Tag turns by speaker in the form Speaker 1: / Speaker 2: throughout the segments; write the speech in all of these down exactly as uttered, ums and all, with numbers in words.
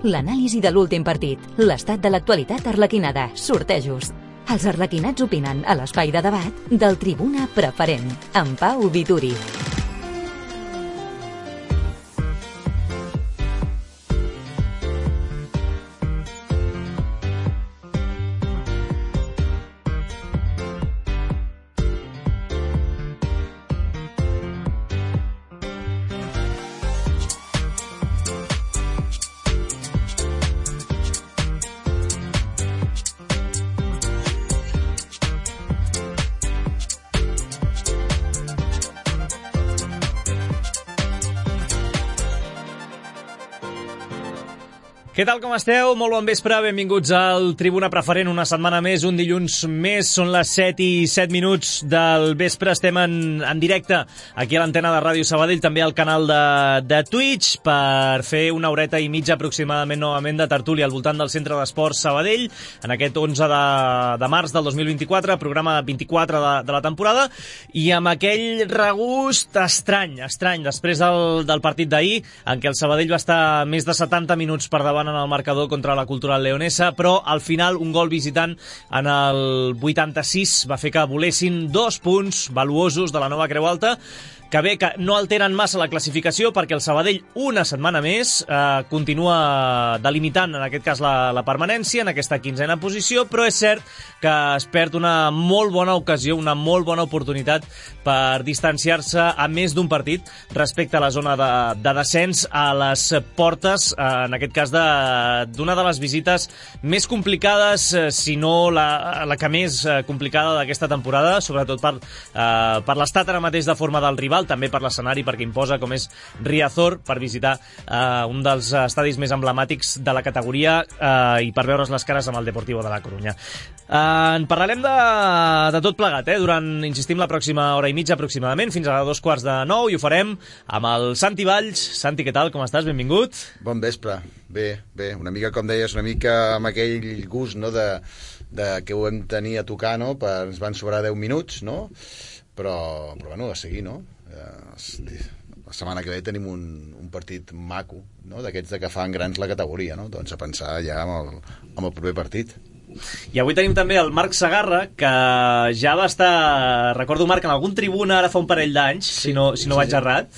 Speaker 1: L'anàlisi de l'últim partit, l'estat de l'actualitat arlequinada, sortejos. Els arlequinats opinen a l'espai de debat del Tribuna Preferent, amb Pau Vituri.
Speaker 2: Què tal, com esteu? Molt bon vespre, benvinguts al Tribuna Preferent, una setmana més, un dilluns més, són les set i set minuts del vespre, estem en, en directe aquí a l'antena de Ràdio Sabadell, també al canal de, de Twitch, per fer una horeta i mitja aproximadament novament de tertúlia al voltant del Centre d'Esports Sabadell, en aquest onze de, de març del dos mil vint-i-quatre, programa vint-i-quatre de, de la temporada, i amb aquell regust estrany, estrany, després del, del partit d'ahir, en què el Sabadell va estar més de setanta minuts per davant en el marcador contra la Cultural Leonesa, però al final un gol visitant en el vuitanta-sis va fer que volessin dos punts valuosos de la Nova Creu Alta, que bé, que no alteren massa la classificació perquè el Sabadell una setmana més eh, continua delimitant en aquest cas la, la permanència en aquesta quinzena posició, però és cert que es perd una molt bona ocasió, una molt bona oportunitat per distanciar-se a més d'un partit respecte a la zona de, de descens a les portes, eh, en aquest cas d'una de, de les visites més complicades, eh, si no la, la que més eh, complicada d'aquesta temporada, sobretot per, eh, per l'estat ara mateix de forma del rival, també per l'escenari perquè imposa, com és Riazor, per visitar eh, un dels estadis més emblemàtics de la categoria eh, i per veure's les cares amb el Deportivo de la Corunya. Eh, en parlarem de, de tot plegat, eh, durant, insistim, la pròxima hora i mitja aproximadament, fins a dos quarts de nou, i ho farem amb el Santi Valls. Santi, què tal? Com estàs? Benvingut.
Speaker 3: Bon vespre. Bé, bé, una mica, com deies, una mica amb aquell gust, no?, de, de que ho vam tenir a tocar, no?, per, ens van sobrar deu minuts, no?, però, però bueno, a seguir, no?, la setmana que ve tenim un, un partit maco, no?, d'aquests de que fan grans la categoria, no?, doncs a pensar ja amb el, amb el proper partit.
Speaker 2: I avui tenim també el Marc Segarra, que ja va estar, recordo, Marc, en algun tribuna ara fa un parell d'anys, sí, si no, si no sí, vaig errat.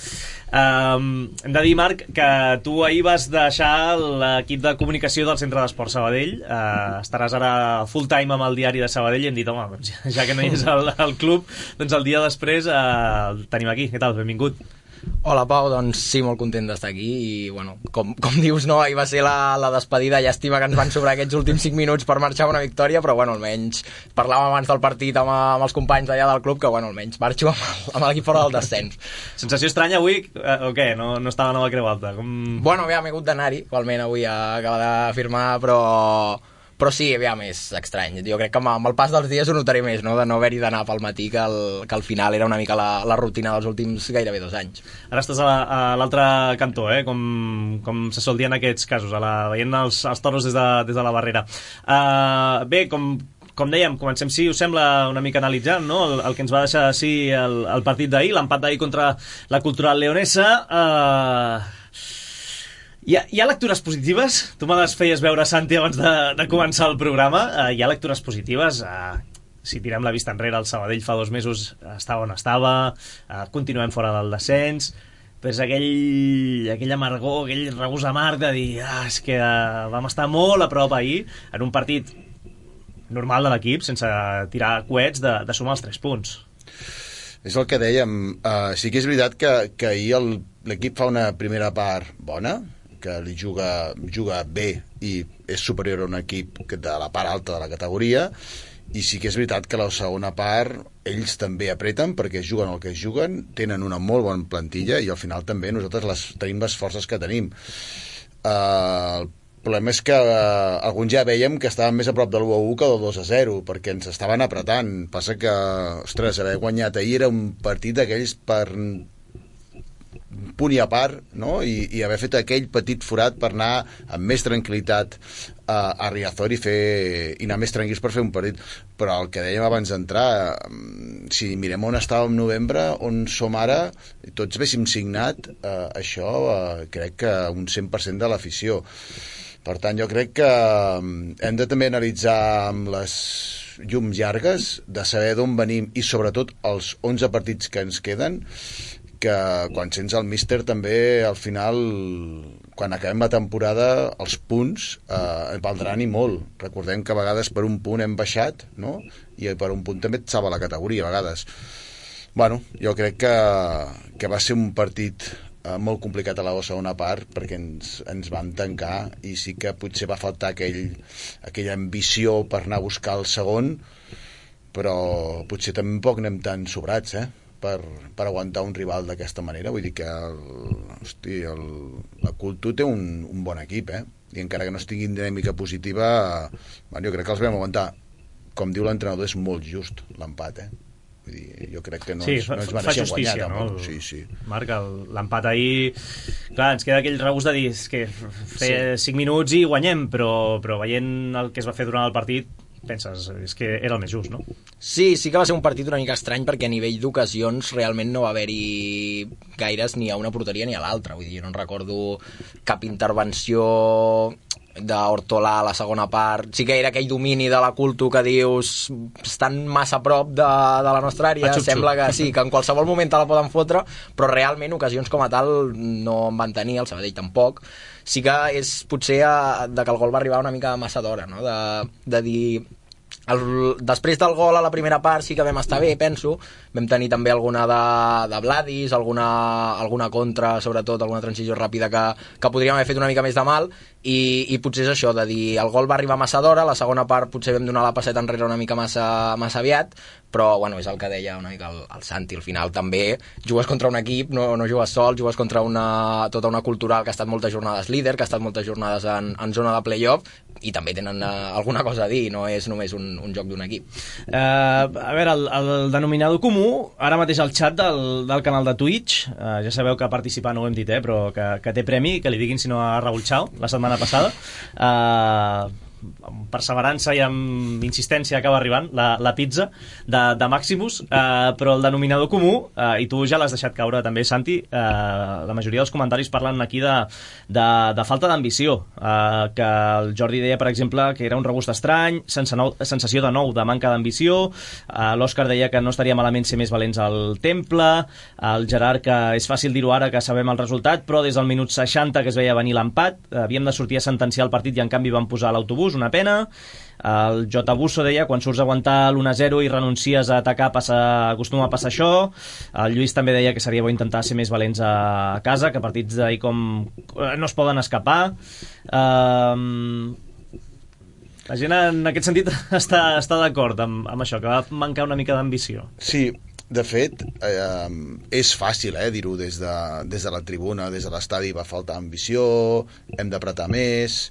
Speaker 2: Um, hem de dir, Marc, que tu ahir vas deixar l'equip de comunicació del Centre d'Esports Sabadell. Uh, estaràs ara full time amb el diari de Sabadell i hem dit, home, doncs, ja que no hi és al, al club, doncs el dia després uh, el tenim aquí. Què tal? Benvingut.
Speaker 4: Hola, Pau, doncs sí, molt content d'estar aquí i, bueno, com, com dius, no, ahir va ser la, la despedida, llàstima que ens van sobrar aquests últims cinc minuts per marxar amb una victòria, però, bueno, almenys parlàvem abans del partit amb, amb els companys d'allà del club que, bueno, almenys marxo amb, amb l'equip fora del descens.
Speaker 2: Sensació estranya avui, eh, o què? No, no està la Nova Creu Alta? Com...
Speaker 4: Bueno, aviam, he hagut d'anar-hi, igualment avui acaba de firmar, però... Però sí, aviam, és estrany. Jo crec que amb el pas dels dies ho notaré més, no?, de no haver-hi d'anar pel matí, que, el, que al final era una mica la, la rutina dels últims gairebé dos anys.
Speaker 2: Ara estàs a l'altre cantó, eh?, com, com se sol dir en aquests casos, a la, veient els, els toros des de, des de la barrera. Uh, bé, com... Com dèiem, comencem, si us sembla, una mica analitzant, no?, el, el que ens va deixar sí, el, el partit d'ahir, l'empat d'ahir contra la Cultural Leonesa. Uh... Hi ha, hi ha lectures positives? Tu me les feies veure, Santi, abans de, de començar el programa. Uh, hi ha lectures positives. Uh, si tirem la vista enrere, el Sabadell fa dos mesos estava on estava, uh, continuem fora del descens, però és aquell, aquell amargor, aquell regust amarg de dir ah, és que uh, vam estar molt a prop ahir en un partit normal de l'equip, sense tirar coets, de, de sumar els tres punts.
Speaker 3: És el que dèiem. Uh, sí que és veritat que, que ahir el, l'equip fa una primera part bona, que li juga, juga bé i és superior a un equip de la part alta de la categoria, i sí que és veritat que la segona part ells també apreten perquè juguen el que juguen, tenen una molt bona plantilla i al final també nosaltres les, tenim les forces que tenim. Uh, el problema és que uh, alguns ja veiem que estàvem més a prop de l'u a u que del dos a zero, perquè ens estaven apretant. Passa que, ostres, haver guanyat ahir era un partit d'aquells per punt i a part, no?, I, i haver fet aquell petit forat per anar amb més tranquil·litat a, a Riazor i, fer, i anar més tranquils per fer un partit. Però el que dèiem abans d'entrar, si mirem on estàvem novembre, on som ara, tots haguéssim signat eh, això, eh, crec que un cent per cent de l'afició. Per tant, jo crec que hem de també analitzar amb les llums llargues, de saber d'on venim i sobretot els onze partits que ens queden, que quan sents el míster també al final, quan acabem la temporada, els punts eh, valdran i molt. Recordem que a vegades per un punt hem baixat, no? I per un punt també et salva la categoria a vegades. Bueno, jo crec que, que va ser un partit eh, molt complicat a la segona part, perquè ens, ens van tancar i sí que potser va faltar aquell, aquella ambició per anar a buscar el segon, però potser tampoc anem tan sobrats, eh? Per, per aguantar un rival d'aquesta manera. Vull dir que el, hosti, el, la Cultu té un, un bon equip, eh? I encara que no estigui en dinàmica positiva, bueno, jo crec que els vam aguantar. Com diu l'entrenador, és molt just l'empat, eh? Vull dir, jo crec que no,
Speaker 2: sí,
Speaker 3: ens, no ens
Speaker 2: fa,
Speaker 3: mereixem
Speaker 2: fa justícia,
Speaker 3: guanyar,
Speaker 2: no?
Speaker 3: Sí, sí.
Speaker 2: Marc, l'empat ahir, clar, ens queda aquell regust de dir que fer sí. cinc minuts i guanyem, però, però veient el que es va fer durant el partit penses, és que era el més just, no?
Speaker 4: Sí, sí que va ser un partit una mica estrany perquè a nivell d'ocasions realment no va haver-hi gaires ni a una porteria ni a l'altra. Vull dir, jo no recordo cap intervenció d'Hortolà a la segona part. Sí que era aquell domini de la Cultu que dius estan massa a prop de, de la nostra àrea, sembla que sí, que en qualsevol moment te la poden fotre, però realment ocasions com a tal no en van tenir, el Sabadell tampoc. Sí que és potser a, de que el gol va arribar una mica massa d'hora, no? de, de dir el, després del gol a la primera part sí que vam estar bé, penso. Vam tenir també alguna de, de Vladis, alguna, alguna contra, sobretot alguna transició ràpida que, que podríem haver fet una mica més de mal, i, i potser és això, de dir el gol va arribar massa d'hora, la segona part potser vam donar la passeta enrere una mica massa, massa aviat, però bueno, és el que deia una mica el, el Santi, al final també jugues contra un equip, no, no jugues sol, jugues contra una, tota una cultural que ha estat moltes jornades líder, que ha estat moltes jornades en, en zona de play-off, i també tenen uh, alguna cosa a dir, no és només un, un joc d'un equip.
Speaker 2: Uh, a veure, el, el denominador comú, ara mateix al xat del, del canal de Twitch, uh, ja sabeu que participar no ho hem dit, eh, però que, que té premi, que li diguin si no a Raúl Chao la setmana passada. Uh, amb perseverança i amb insistència acaba arribant la, la pizza de, de Maximus, eh, però el denominador comú, eh, i tu ja l'has deixat caure també, Santi, eh, la majoria dels comentaris parlen aquí de, de, de falta d'ambició, eh, que el Jordi deia, per exemple, que era un regust estrany, sense nou, sensació de nou de manca d'ambició, eh, l'Òscar deia que no estaria malament ser més valents al Temple, el Gerard que és fàcil dir-ho ara que sabem el resultat, però des del minut seixanta que es veia venir l'empat, eh, havíem de sortir a sentenciar el partit i en canvi van posar l'autobús, una pena. El J. Busso deia, quan surts a aguantar l'u a zero i renuncies a atacar, passa, acostuma a passar això. El Lluís també deia que seria bo intentar ser més valents a casa, que partits d'ahir com no es poden escapar. Um, la gent en aquest sentit està, està d'acord amb, amb això, que va mancar una mica d'ambició.
Speaker 3: Sí, de fet, eh, és fàcil eh, dir-ho des, de, des de la tribuna, des de l'estadi va faltar ambició, hem d'apretar més.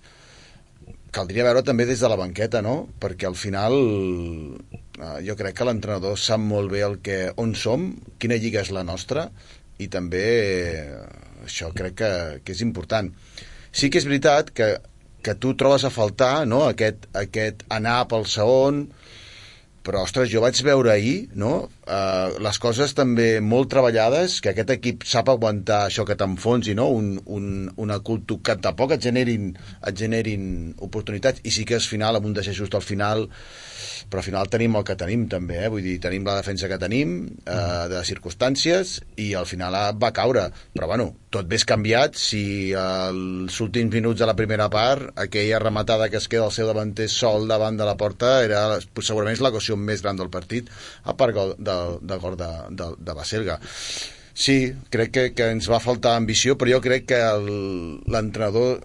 Speaker 3: Caldria veure també des de la banqueta, no? Perquè al final eh, jo crec que l'entrenador sap molt bé el que, on som, quina lliga és la nostra, i també eh, això crec que, que és important. Sí que és veritat que, que tu trobes a faltar, no?, aquest, aquest anar pel segon, però, ostres, jo vaig veure ahir, no?, uh, les coses també molt treballades, que aquest equip sap aguantar això que t'enfonsi, no?, un, un, una cultura que tampoc et generin, et generin oportunitats, i sí que al final, amb un desajust al final, però al final tenim el que tenim també, eh? Vull dir, tenim la defensa que tenim, eh, de circumstàncies, i al final va caure, però bueno, tot ves canviat si als últims minuts de la primera part aquella rematada que es queda al seu davanter sol davant de la porta era segurament l'ocasió més gran del partit, a part del, del gol de, de, de Baselga. Sí, crec que, que ens va faltar ambició, però jo crec que l'entrenador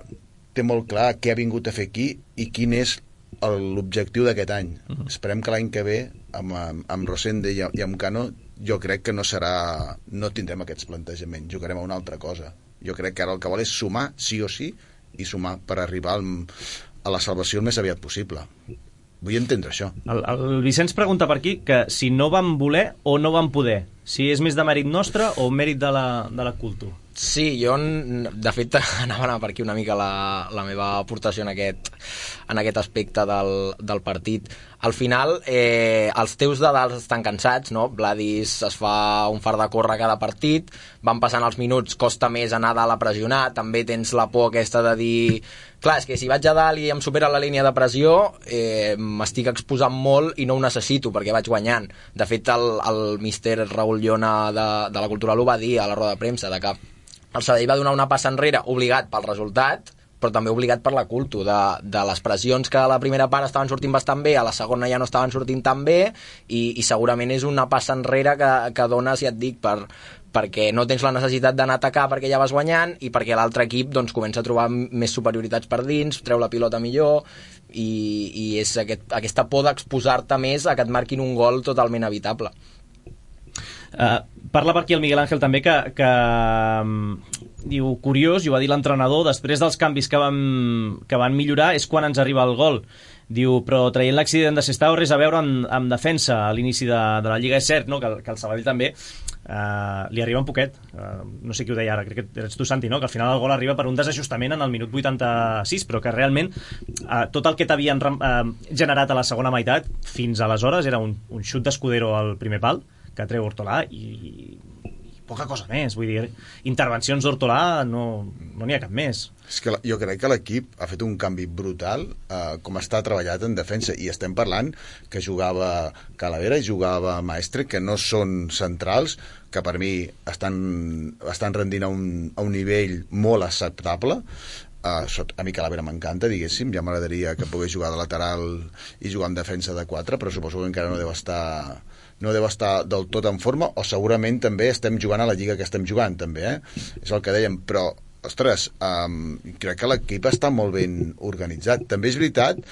Speaker 3: té molt clar què ha vingut a fer aquí i quin és l'objectiu d'aquest any. Uh-huh. Esperem que l'any que ve amb, amb, amb Rosende i, i amb Cano jo crec que no serà, no tindrem aquests plantejaments, jugarem a una altra cosa. Jo crec que ara el que vol és sumar sí o sí, i sumar per arribar al, a la salvació el més aviat possible. Vull entendre això.
Speaker 2: El, el Vicenç pregunta per aquí que si no vam voler o no vam poder, si és més de mèrit nostre o mèrit de la, de la cultura.
Speaker 4: Sí, jo de fet anava a anar per aquí una mica la, la meva aportació en aquest, en aquest aspecte del, del partit. al final eh, els teus de dalt estan cansats, no? Vladis es fa un far de córrer cada partit, van passant els minuts, costa més anar a dalt a pressionar, també tens la por aquesta de dir, clar, és que si vaig a dalt i em supera la línia de pressió eh, m'estic exposant molt i no ho necessito perquè vaig guanyant. De fet el, el míster Raül Llona de, de la Cultural ho va dir a la roda de premsa, de que el Sabadell va donar una passa enrere obligat pel resultat, però també obligat per la culto, de, de les pressions que a la primera part estaven sortint bastant bé, a la segona ja no estaven sortint tan bé, i, i segurament és una passa enrere que, que dones, ja et dic, per, perquè no tens la necessitat d'anar a atacar perquè ja vas guanyant, i perquè l'altre equip doncs, comença a trobar més superioritats per dins, treu la pilota millor, i, i és aquest, aquesta por d'exposar-te més a que et marquin un gol totalment evitable.
Speaker 2: Uh, parla per aquí el Miguel Ángel també que, que um, diu, curiós, i ho va dir l'entrenador, després dels canvis que van, que van millorar és quan ens arriba el gol. Diu, però traient l'accident de Sestao res a veure amb, amb defensa a l'inici de, de la Lliga. És cert, no?, que, que el Sabadell també uh, li arriba un poquet, uh, no sé qui ho deia ara, crec que ets tu, Santi, no?, que al final el gol arriba per un desajustament en el minut vuitanta-sis, però que realment uh, tot el que t'havien uh, generat a la segona meitat fins aleshores era un, un xut d'Escudero al primer pal que treu Hortolà i, i poca cosa més, vull dir, intervencions d'Hortolà no n'hi no ha cap més.
Speaker 3: És que jo crec que l'equip ha fet un canvi brutal eh, com està treballat en defensa, i estem parlant que jugava Calavera i jugava Maestre, que no són centrals, que per mi estan, estan rendint a un, a un nivell molt acceptable. Uh, a mi Calavera m'encanta, diguéssim, ja m'agradaria que pogués jugar de lateral i jugar en defensa de quatre, però suposo que encara no deu estar no deu estar del tot en forma, o segurament també estem jugant a la lliga que estem jugant també, eh? És el que dèiem, però ostres, um, crec que l'equip està molt ben organitzat. També és veritat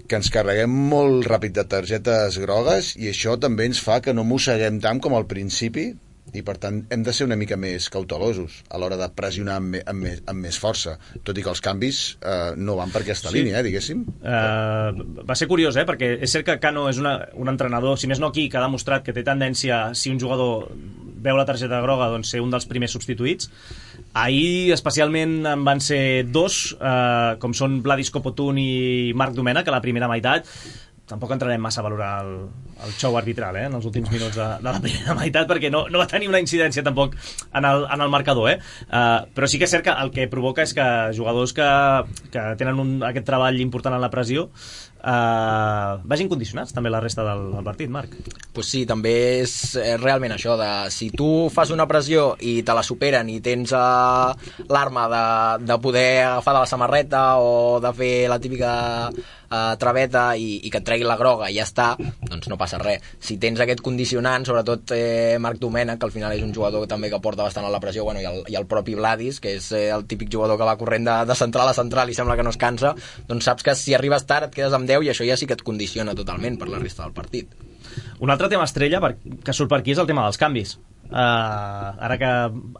Speaker 3: que ens carreguem molt ràpid de targetes grogues, i això també ens fa que no mosseguem tant com al principi, i per tant hem de ser una mica més cautelosos a l'hora de pressionar amb, me, amb, més, amb més força, tot i que els canvis eh, no van per aquesta sí. línia, eh, diguéssim.
Speaker 2: Uh, va ser curiós, eh, perquè és cert que Cano és una, un entrenador, si més no aquí, que ha demostrat que té tendència, si un jugador veu la targeta groga, doncs ser un dels primers substituïts. Ahir especialment en van ser dos, eh, com són Vladis Copotun i Marc Domènech, que a la primera meitat tampoc entrarem massa a valorar el, el show arbitral eh, en els últims minuts de, de la primera meitat, perquè no, no va tenir una incidència tampoc en el, en el marcador, eh? Uh, però sí que és cert que el que provoca és que jugadors que, que tenen un, aquest treball important en la pressió Uh, vagin condicionats també la resta del, del partit, Marc.
Speaker 4: Pues sí, també és, és realment això de si tu fas una pressió i te la superen i tens uh, l'arma de, de poder agafar de la samarreta o de fer la típica uh, traveta i, i que et tregui la groga i ja està, doncs no passa res. Si tens aquest condicionant, sobretot eh, Marc Domènech, que al final és un jugador també que porta bastant a la pressió, bueno, i, el, i el propi Vladis, que és eh, el típic jugador que va corrent de, de central a central i sembla que no es cansa, doncs saps que si arribes tard et quedes amb deu i això ja sí que et condiciona totalment per la resta del partit.
Speaker 2: Un altre tema estrella per, que surt per aquí és el tema dels canvis. Uh, ara que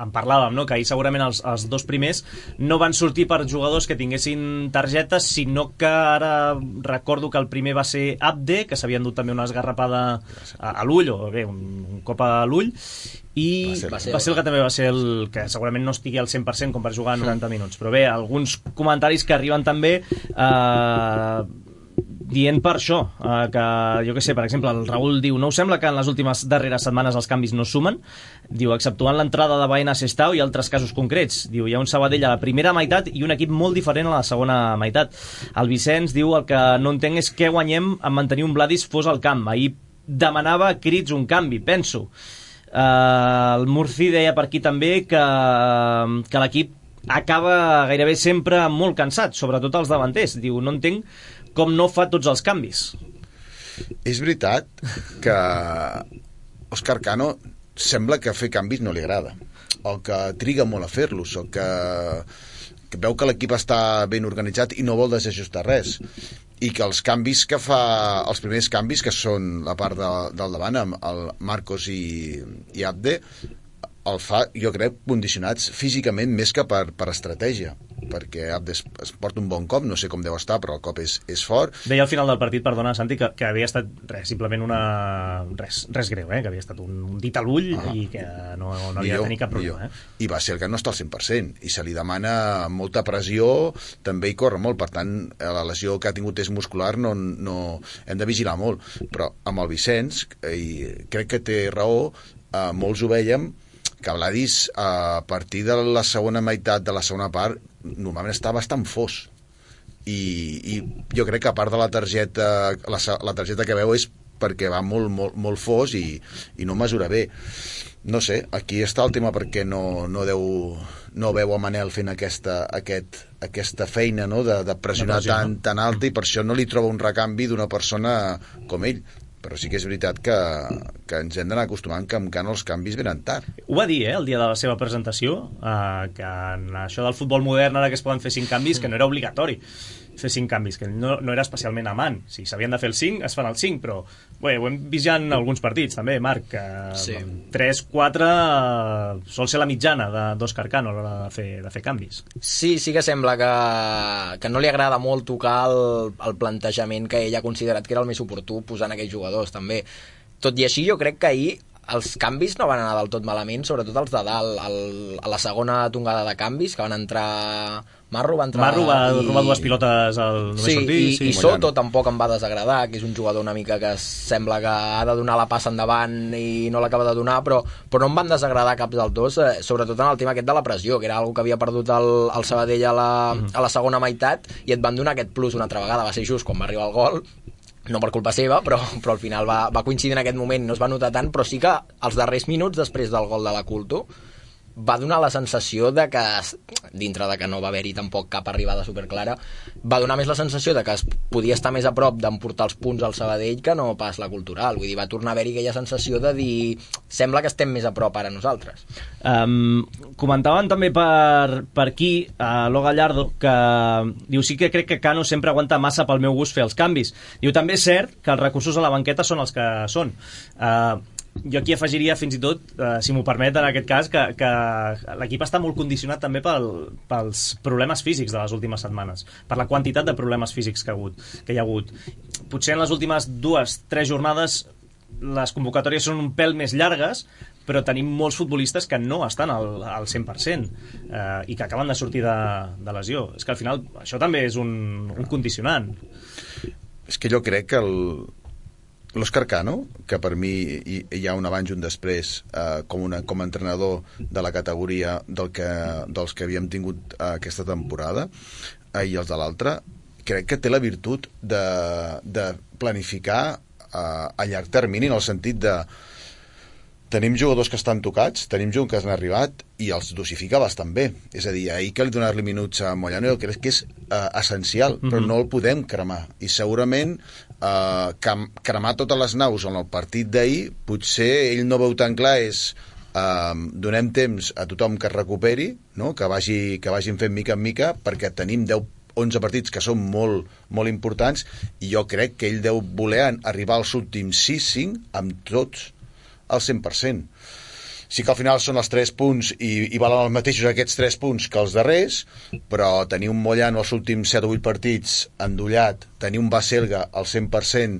Speaker 2: en parlàvem, no? Que ahir segurament els, els dos primers no van sortir per jugadors que tinguessin targetes, sinó que ara recordo que el primer va ser Abde, que s'havia endut també una esgarrapada a, a l'ull, o bé, un, un cop a l'ull, i va ser, va ser, va ser el que també va ser el que segurament no estigui al cent per cent com per jugar noranta minuts, però bé, alguns comentaris que arriben també uh, dient per això, eh, que jo què sé, per exemple, el Raül diu, no us sembla que en les últimes darreres setmanes els canvis no sumen? Diu, exceptuant l'entrada de Baena Sestao i altres casos concrets. Diu, hi ha un Sabadell a la primera meitat i un equip molt diferent a la segona meitat. El Vicenç diu, el que no entenc és què guanyem en mantenir un Vladis fos al camp. Ahir demanava crits un canvi, penso. Eh, el Murci deia per aquí també que, que l'equip acaba gairebé sempre molt cansat, sobretot els davanters. Diu, no entenc com no fa tots els canvis.
Speaker 3: És veritat que Òscar Cano sembla que fer canvis no li agrada, o que triga molt a fer-los, o que, que veu que l'equip està ben organitzat i no vol desajustar res, i que els canvis que fa, els primers canvis, que són la part de, del davant amb el Marcos i, i Abde, el fa, jo crec, condicionats físicament més que per, per estratègia, perquè Abdes es porta un bon cop, no sé com deu estar, però el cop és, és fort.
Speaker 2: Deia al final del partit, perdona, Santi, que, que havia estat res, simplement una... res, res greu, eh? Que havia estat un, un dit a l'ull ah. i que no, no havia de tenir cap problema. Eh?
Speaker 3: I va ser el que no està al cent per cent, i se li demana molta pressió, també hi corre molt, per tant, la lesió que ha tingut és muscular, no, no, hem de vigilar molt. Però amb el Vicenç, i crec que té raó, eh, molts ho veiem, que Vladis a partir de la segona meitat de la segona part normalment està bastant fos i, i jo crec que a part de la targeta la, la targeta que veu és perquè va molt, molt, molt fos i, i no mesura bé. No sé, aquí està el tema perquè no, no, deu, no veu a Manel fent aquesta, aquest, aquesta feina, no? de, de pressionar pressió, tan, tan alta, i per això no li troba un recanvi d'una persona com ell. Però sí que és veritat que, que ens hem d'anar acostumant que amb Cano els canvis venen tard.
Speaker 2: Ho va dir, eh, el dia de la seva presentació, eh, que en això del futbol modern ara que es poden fer cinc canvis, que no era obligatori fer cinc canvis, que no, no era especialment amant. Si s'havien de fer els cinc, es fan els cinc, però bé, ho hem vist ja en alguns partits també, Marc, que sí. tres quatre eh, sol ser la mitjana d'Òscar Cano a l'hora de fer, de fer canvis.
Speaker 4: Sí, sí que sembla que, que no li agrada molt tocar el, el plantejament que ell ha considerat que era el més oportú posant aquells jugadors també. Tot i així jo crec que ahir els canvis no van anar del tot malament, sobretot els de dalt, el, a la segona tongada de canvis, que van entrar... Marro va entrar...
Speaker 2: Marro va i... robar dues pilotes al només
Speaker 4: sí,
Speaker 2: sortir.
Speaker 4: I,
Speaker 2: sí,
Speaker 4: i Soto tampoc em va desagradar, que és un jugador una mica que sembla que ha de donar la passa endavant i no l'acaba de donar, però, però no em van desagradar cap dels dos, eh, sobretot en el tema aquest de la pressió, que era una que havia perdut el, el Sabadell a la, a la segona meitat, i et van donar aquest plus una altra vegada. Va ser just quan va arribar el gol, no per culpa seva, però, però al final va, va coincidir en aquest moment, no es va notar tant, però sí que els darrers minuts després del gol de la Culto va donar la sensació de que, dintre de que no va haver-hi tampoc cap arribada superclara, va donar més la sensació de que es podia estar més a prop d'emportar els punts al Sabadell que no pas la Cultural. Vull dir, va tornar a haver-hi aquella sensació de dir sembla que estem més a prop ara nosaltres.
Speaker 2: Um, comentaven també per, per aquí a Lo Gallardo que diu sí que crec que Cano sempre aguanta massa pel meu gust fer els canvis. Diu també és cert que els recursos a la banqueta són els que són. Uh, jo aquí afegiria fins i tot, eh, si m'ho permet en aquest cas, que, que l'equip està molt condicionat també pel, pels problemes físics de les últimes setmanes, per la quantitat de problemes físics que, ha hagut, que hi ha hagut. Potser en les últimes dues, tres jornades les convocatòries són un pèl més llargues, però tenim molts futbolistes que no estan al, al cent per cent eh, i que acaben de sortir de, de lesió. És que al final això també és un, un condicionant.
Speaker 3: És que jo crec que el l'Òscar Cano, que per mi hi, hi ha un abans i un després eh, com, una, com a entrenador de la categoria del que, dels que havíem tingut eh, aquesta temporada eh, i els de l'altra, crec que té la virtut de, de planificar eh, a llarg termini, en el sentit de tenim jugadors que estan tocats, tenim jugadors que han arribat i els dosifica bastant bé. És a dir, ahir que li donar-li minuts a Moyano jo crec que és uh, essencial, mm-hmm. però no el podem cremar. I segurament uh, cremar totes les naus en el partit d'ahir, potser ell no veu tan clar, és uh, donem temps a tothom que es recuperi, no? que, vagi, que vagin fent mica en mica, perquè tenim deu onze partits que són molt, molt importants, i jo crec que ell deu voler arribar als últims sis cinc amb tots al cent per cent. Sí que al final són els tres punts i, i valen els mateixos aquests tres punts que els darrers, però tenir un Moyano els últims set o vuit partits endollat, tenir un Baselga al cent per cent,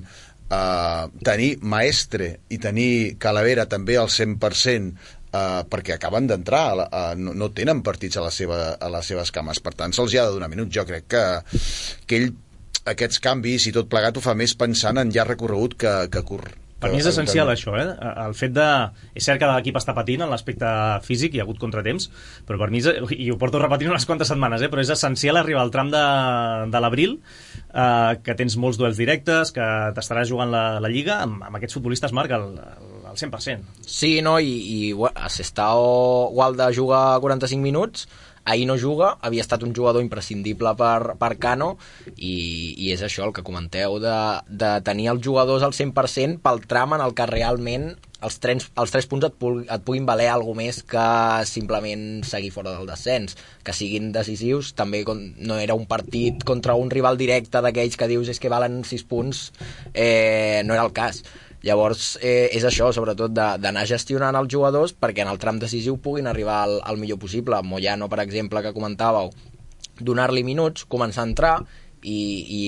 Speaker 3: eh, tenir Maestre i tenir Calavera també al cent per cent, eh, perquè acaben d'entrar, eh, no, no tenen partits a, la seva, a les seves cames, per tant se'ls ha de donar minuts. Jo crec que, que ell aquests canvis i tot plegat ho fa més pensant en ja recorregut que, que curt.
Speaker 2: Per mi és essencial això, eh? El fet de... És cert que l'equip està patint en l'aspecte físic, hi ha hagut contratemps, però per mi, és... i ho porto repetint unes quantes setmanes, eh? Però és essencial arribar al tram de, de l'abril, eh, que tens molts duels directes, que t'estaràs jugant la, la Lliga, amb, amb aquests futbolistes, Marc, al, al cent per cent.
Speaker 4: Sí, no, i, i a Sestao Gualda juga quaranta-cinc minuts, ahir no juga, havia estat un jugador imprescindible per, per Cano, i, i és això el que comenteu, de, de tenir els jugadors al cent per cent pel tram en el que realment els tres, els tres punts et, pu, et puguin valer alguna més que simplement seguir fora del descens, que siguin decisius. També no era un partit contra un rival directe d'aquells que dius és que valen sis punts, eh, no era el cas. Llavors eh, és això, sobretot d'anar gestionant els jugadors perquè en el tram decisiu puguin arribar al, al millor possible. Moyano, per exemple, que comentàveu, donar-li minuts, començar a entrar, i, i,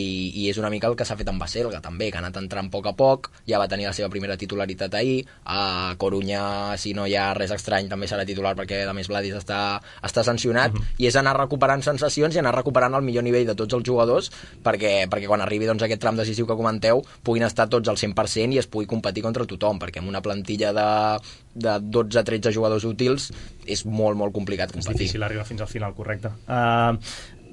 Speaker 4: i és una mica el que s'ha fet amb Baselga també, que ha anat entrant a poc a poc, ja va tenir la seva primera titularitat ahir. A Corunya, si no hi ha res estrany, també serà titular perquè a més Vladis està, està sancionat, uh-huh. i és anar recuperant sensacions i anar recuperant el millor nivell de tots els jugadors perquè, perquè quan arribi doncs, aquest tram decisiu que comenteu puguin estar tots al cent per cent i es pugui competir contra tothom, perquè amb una plantilla de, de dotze tretze jugadors útils és molt, molt complicat competir.
Speaker 2: És difícil arribar fins al final, correcte. Uh,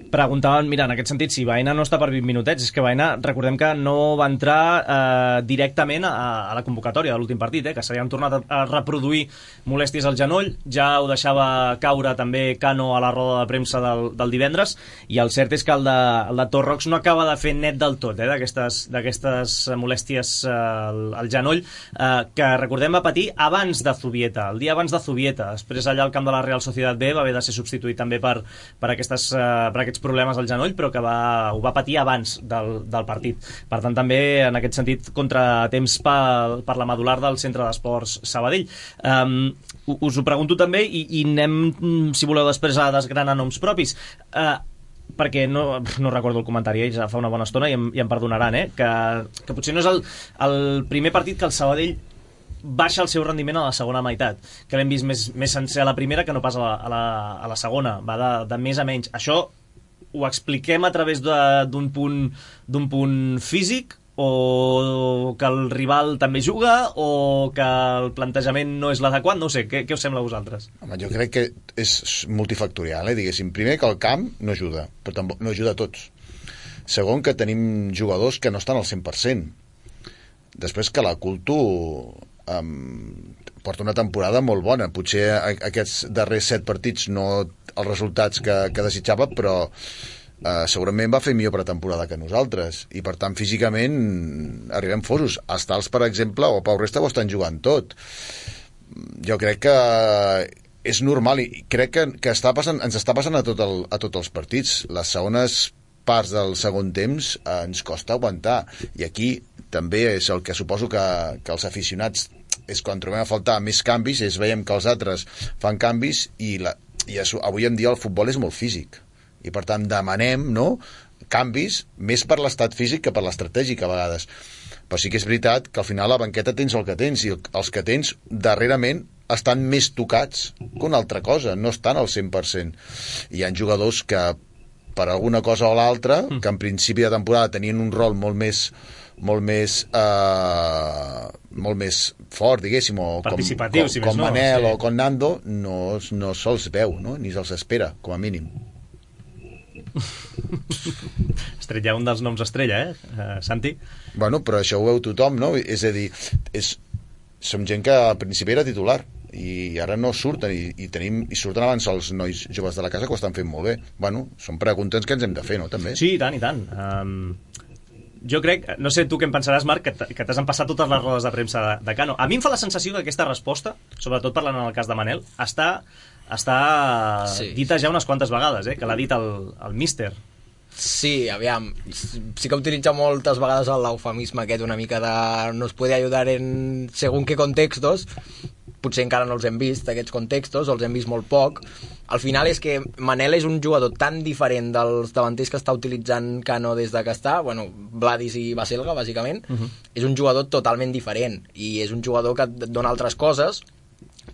Speaker 2: Preguntaven, mira, en aquest sentit, si Baena no està per vint minutets, és que Baena, recordem que no va entrar eh, directament a, a la convocatòria de l'últim partit, eh, que s'havien tornat a, a reproduir molèsties al genoll, ja ho deixava caure també Cano a la roda de premsa del, del divendres, i el cert és que el de, el de Torrox no acaba de fer net del tot, eh, d'aquestes molèsties eh, al, al genoll, eh, que recordem va patir abans de Zubieta, el dia abans de Zubieta. Després allà al camp de la Real Sociedad B va haver de ser substituït també per, per, aquestes, eh, per aquests problemes al genoll, però que va, ho va patir abans del, del partit. Per tant, també, en aquest sentit, contratemps per, per la medular del Centre d'Esports Sabadell. Um, us ho pregunto també, i, i anem, si voleu, després a desgranar noms propis. Uh, perquè no, no recordo el comentari, eh? Ja fa una bona estona i em, i em perdonaran, eh? que, que potser no és el, el primer partit que el Sabadell baixa el seu rendiment a la segona meitat, que l'hem vist més, més sencer a la primera que no pas a la, a la, a la segona, va de, de més a menys. Això ho expliquem a través d'un punt, d'un punt físic, o que el rival també juga, o que el plantejament no és l'adequat? No ho sé, què, què us sembla a vosaltres?
Speaker 3: Home, jo crec que és multifactorial, eh? Diguéssim. Primer, que el camp no ajuda, però tampoc no ajuda a tots. Segon, que tenim jugadors que no estan al cent per cent. Després, que la Cultu um, porta una temporada molt bona. Potser aquests darrers set partits no els resultats que, que desitjava, però eh, segurament va fer millor pretemporada que nosaltres, i per tant físicament arribem fosos. Estals, per exemple, o Pau Resta ho estan jugant tot. Jo crec que és normal, i crec que, que està passant, ens està passant a, tot el, a tots els partits. Les segones parts del segon temps eh, ens costa aguantar, i aquí també és el que suposo que, que els aficionats és quan trobem a faltar més canvis, és veiem que els altres fan canvis, i, la, i això, avui en dia el futbol és molt físic, i per tant demanem, no?, canvis més per l'estat físic que per l'estratègic a vegades. Però sí que és veritat que al final la banqueta tens el que tens, i els que tens darrerament estan més tocats que una altra cosa, no estan al cent per cent. Hi ha jugadors que per alguna cosa o l'altra, que en principi de temporada tenien un rol molt més molt més eh, molt més fort, diguéssim, o com, com,
Speaker 2: si
Speaker 3: com
Speaker 2: no,
Speaker 3: Manel,
Speaker 2: sí.
Speaker 3: o com Nando, no, no se'ls veu, no? Ni se'ls espera, com a mínim.
Speaker 2: Estrella, un dels noms estrella, eh? Uh, Santi?
Speaker 3: Bueno, però això ho veu tothom, no? És a dir, és, som gent que al principi era titular, i ara no surten, i, i, tenim, i surten abans els nois joves de la casa, que ho estan fent molt bé. Bueno, són preguntes que ens hem de fer, no? També.
Speaker 2: Sí, i tant, i tant. Um... Jo crec, no sé tu què en pensaràs, Marc, que t'has empassat totes les rodes de premsa de, de Cano. A mi em fa la sensació que aquesta resposta, sobretot parlant en el cas de Manel, està, està sí. dita ja unes quantes vegades, eh, que l'ha dit el, el míster.
Speaker 4: Sí, aviam, sí que utilitza moltes vegades l'eufemisme aquest una mica de nos puede ayudar en según qué contextos. Potser encara no els hem vist, aquests contextos, o els hem vist molt poc. Al final és que Manel és un jugador tan diferent dels davanters que està utilitzant Cano des de que està, bueno, Vladis i Baselga, bàsicament. Uh-huh. És un jugador totalment diferent, i és un jugador que et dona altres coses,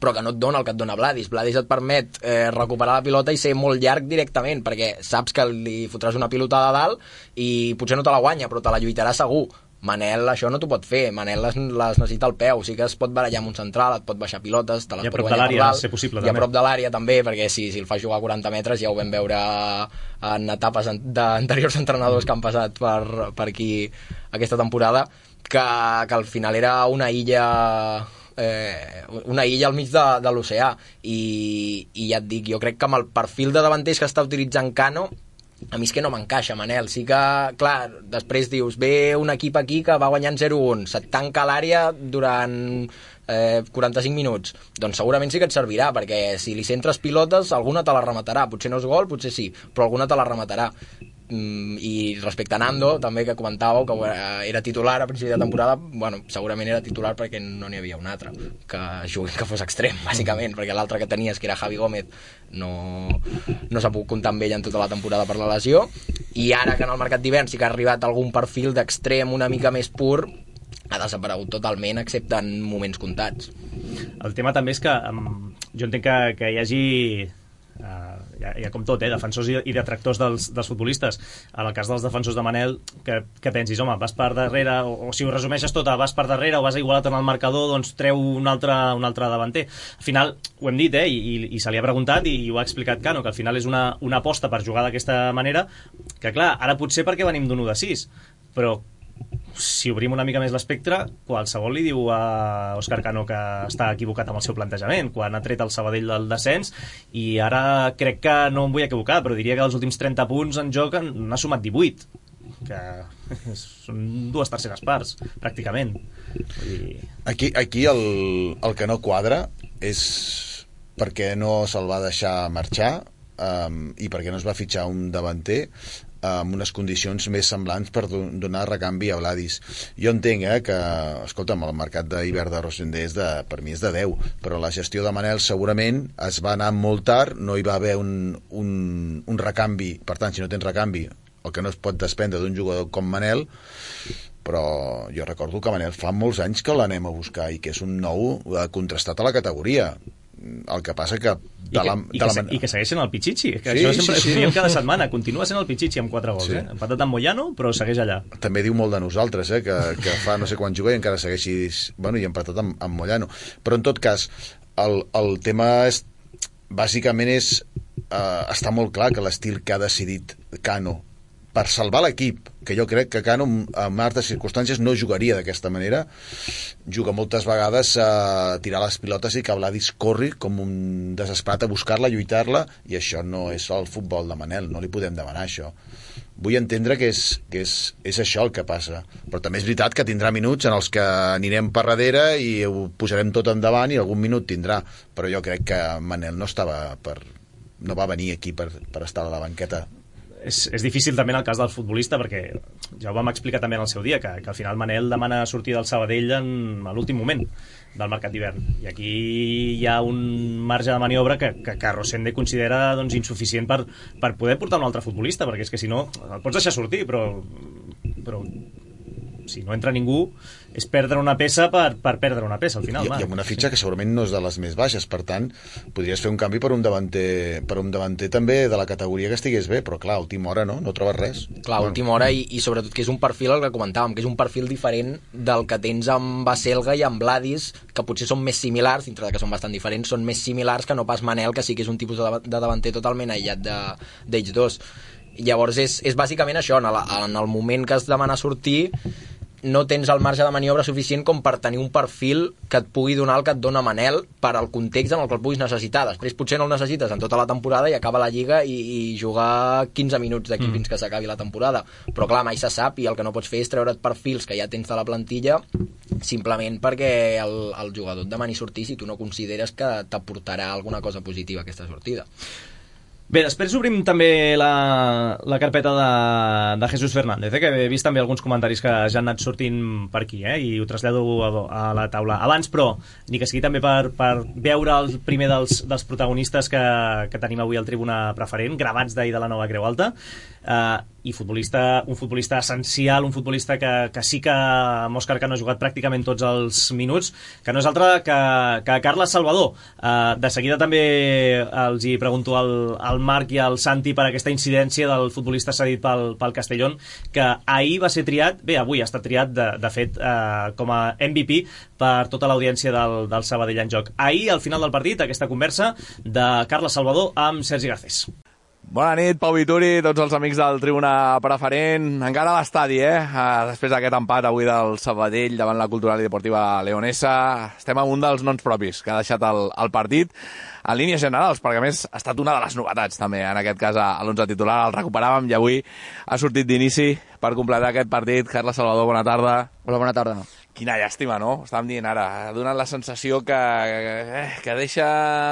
Speaker 4: però que no et dona el que et dona Vladis. Vladis et permet eh, recuperar la pilota i ser molt llarg directament, perquè saps que li fotràs una pilotada a dalt i potser no te la guanya, però te la lluitarà segur. Manel això no t'ho pot fer, Manel les, les necessita al peu, sí que es pot barallar amb un central, et pot baixar pilotes, te les pot guanyar per dalt,
Speaker 2: possible,
Speaker 4: i a prop de l'àrea també, perquè si, si el fa jugar a quaranta metres ja ho vam veure en etapes d'anteriors entrenadors que han passat per, per aquí aquesta temporada, que, que al final era una illa eh, una illa al mig de, de l'oceà, i, i ja et dic, jo crec que amb el perfil de davanters que està utilitzant Cano, a mi és que no m'encaixa, Manel. Sí que, clar, després dius, ve un equip aquí que va guanyant zero un, se't tanca l'àrea durant eh, quaranta-cinc minuts. Doncs segurament sí que et servirà, perquè si li centres pilotes, alguna te la rematarà. Potser no és gol, potser sí, però alguna te la rematarà. i respecte a Nando, també, que comentàveu que era titular a principi de temporada, bueno, segurament era titular perquè no n'hi havia un altre que jugui, que fos extrem, bàsicament, perquè l'altre que tenies, que era Javi Gómez, no, no s'ha pogut comptar amb ell en tota la temporada per la lesió, i ara que en el mercat d'hivern sí que ha arribat algun perfil d'extrem una mica més pur, ha desaparegut totalment, excepte en moments comptats.
Speaker 2: El tema també és que um, jo entenc que, que hi hagi Uh, hi, ha, hi ha com tot, eh? Defensors i, i detractors dels, dels futbolistes. En el cas dels defensors de Manel, que, que pensis, home, vas per darrere, o, o si ho resumeixes tot, vas per darrere o vas igualat en el marcador, doncs treu un altre, un altre davanter. Al final, ho hem dit, eh? I, i, i se li ha preguntat i, i ho ha explicat Cano, que al final és una, una aposta per jugar d'aquesta manera, que clar, ara potser perquè venim d'un u de sis, però si obrim una mica més l'espectre, qualsevol li diu a Òscar Cano que està equivocat amb el seu plantejament, quan ha tret el Sabadell del descens, i ara crec que no em vull equivocar, però diria que dels últims trenta punts en joc n'ha sumat divuit, que són dues terceres parts, pràcticament. Vull dir...
Speaker 3: Aquí, aquí el, el que no quadra és perquè no se'l va deixar marxar um, i perquè no es va fitxar un davanter amb unes condicions més semblants per donar recanvi a Vladis. Jo entenc eh, que, escolta'm, el mercat d'hivern de Rosendé és de, per mi és de deu, però la gestió de Manel segurament es va anar molt tard, no hi va haver un, un, un recanvi, per tant, si no tens recanvi, el que no es pot desprendre d'un jugador com Manel, però jo recordo que Manel fa molts anys que l'anem a buscar i que és un nou contrastat a la categoria. El que passa que... De
Speaker 2: I,
Speaker 3: la,
Speaker 2: que, i,
Speaker 3: de
Speaker 2: que,
Speaker 3: la...
Speaker 2: i que segueix sent el Pichichi, que
Speaker 3: sí,
Speaker 2: això sempre
Speaker 3: sí, sí.
Speaker 2: ho diem cada setmana, continua sent el Pichichi amb quatre gols, sí. eh? Empatat amb Moyano, però segueix allà.
Speaker 3: També diu molt de nosaltres, eh? que, que fa no sé quan juga i encara segueixi, bueno, i empatat amb, amb Moyano. Però en tot cas, el, el tema és, bàsicament és eh, està molt clar que l'estil que ha decidit Cano per salvar l'equip, que jo crec que Cano en altres circumstàncies no jugaria d'aquesta manera, juga moltes vegades a tirar les pilotes i que Vladis corri com un desesperat a buscar-la, a lluitar-la, i això no és el futbol de Manel, no li podem demanar això. Vull entendre que és, que és, és això el que passa, però també és veritat que tindrà minuts en els que anirem per darrere i ho posarem tot endavant i algun minut tindrà, però jo crec que Manel no estava per, no va venir aquí per, per estar a la banqueta.
Speaker 2: És, és difícil també en el cas del futbolista, perquè ja ho vam explicar també en el seu dia, que, que al final Manel demana sortir del Sabadell en, a l'últim moment del mercat d'hivern, i aquí hi ha un marge de maniobra que, que, que Rosende considera doncs, insuficient per, per poder portar un altre futbolista, perquè és que si no el pots deixar sortir, però, però si no entra ningú és perdre una peça per, per perdre una peça al final.
Speaker 3: I, i amb una fitxa sí. que segurament no és de les més baixes, per tant podries fer un canvi per un davanter per un davanter també de la categoria que estigués bé, però clar, a última hora no, no trobes res.
Speaker 4: Clar, a
Speaker 3: bueno.
Speaker 4: última hora i, i sobretot que és un perfil, el que comentàvem, que és un perfil diferent del que tens amb Baselga i amb Vladis, que potser són més similars, dintre de que són bastant diferents, són més similars que no pas Manel, que sí que és un tipus de, de davanter totalment aïllat d'ells dos. Llavors és, és bàsicament això, en el, en el moment que has de demanar sortir no tens el marge de maniobra suficient com per tenir un perfil que et pugui donar el que et dona Manel per al context en el que el puguis necessitar. Després potser no el necessites en tota la temporada i acaba la Lliga i, i jugar quinze minuts d'aquí mm. fins que s'acabi la temporada. Però clar, mai se sap, i el que no pots fer és treure't perfils que ja tens de la plantilla simplement perquè el, el jugador et demani sortir si tu no consideres que t'aportarà alguna cosa positiva aquesta sortida.
Speaker 2: Bé, després obrim també la, la carpeta de, de Jesús Fernández, eh, que he vist també alguns comentaris que ja han anat sortint per aquí, eh, i ho trasllado a, a la taula abans, però ni que sigui també per, per veure el primer dels, dels protagonistes que, que tenim avui al Tribuna Preferent, gravats d'ahir de la Nova Creu Alta, eh, i futbolista, un futbolista essencial, un futbolista que, que sí que amb Òscar Cano ha jugat pràcticament tots els minuts, que no és altre que, que Carles Salvador. Eh, de seguida també els hi pregunto al, al Marc i al Santi per aquesta incidència del futbolista cedit pel, pel Castellón, que ahir va ser triat, bé, avui ha estat triat de, de fet eh, com a M V P per tota l'audiència del, del Sabadell en joc. Ahir, al final del partit, aquesta conversa de Carles Salvador amb Sergi Garcés.
Speaker 5: Bona nit, Pau Vituri, tots els amics del Tribuna Preferent. Encara a l'estadi, eh? Després d'aquest empat avui del Sabadell davant la Cultural i Deportiva Leonesa, estem amb un dels noms propis que ha deixat el, el partit en línies generals, perquè a més ha estat una de les novetats també, en aquest cas a l'onze titular, el recuperàvem i avui ha sortit d'inici per completar aquest partit. Carles Salvador, bona tarda.
Speaker 6: Hola, bona tarda.
Speaker 5: Quina llàstima, no? Ho estàvem dient ara. Ha donat la sensació que, eh, que deixa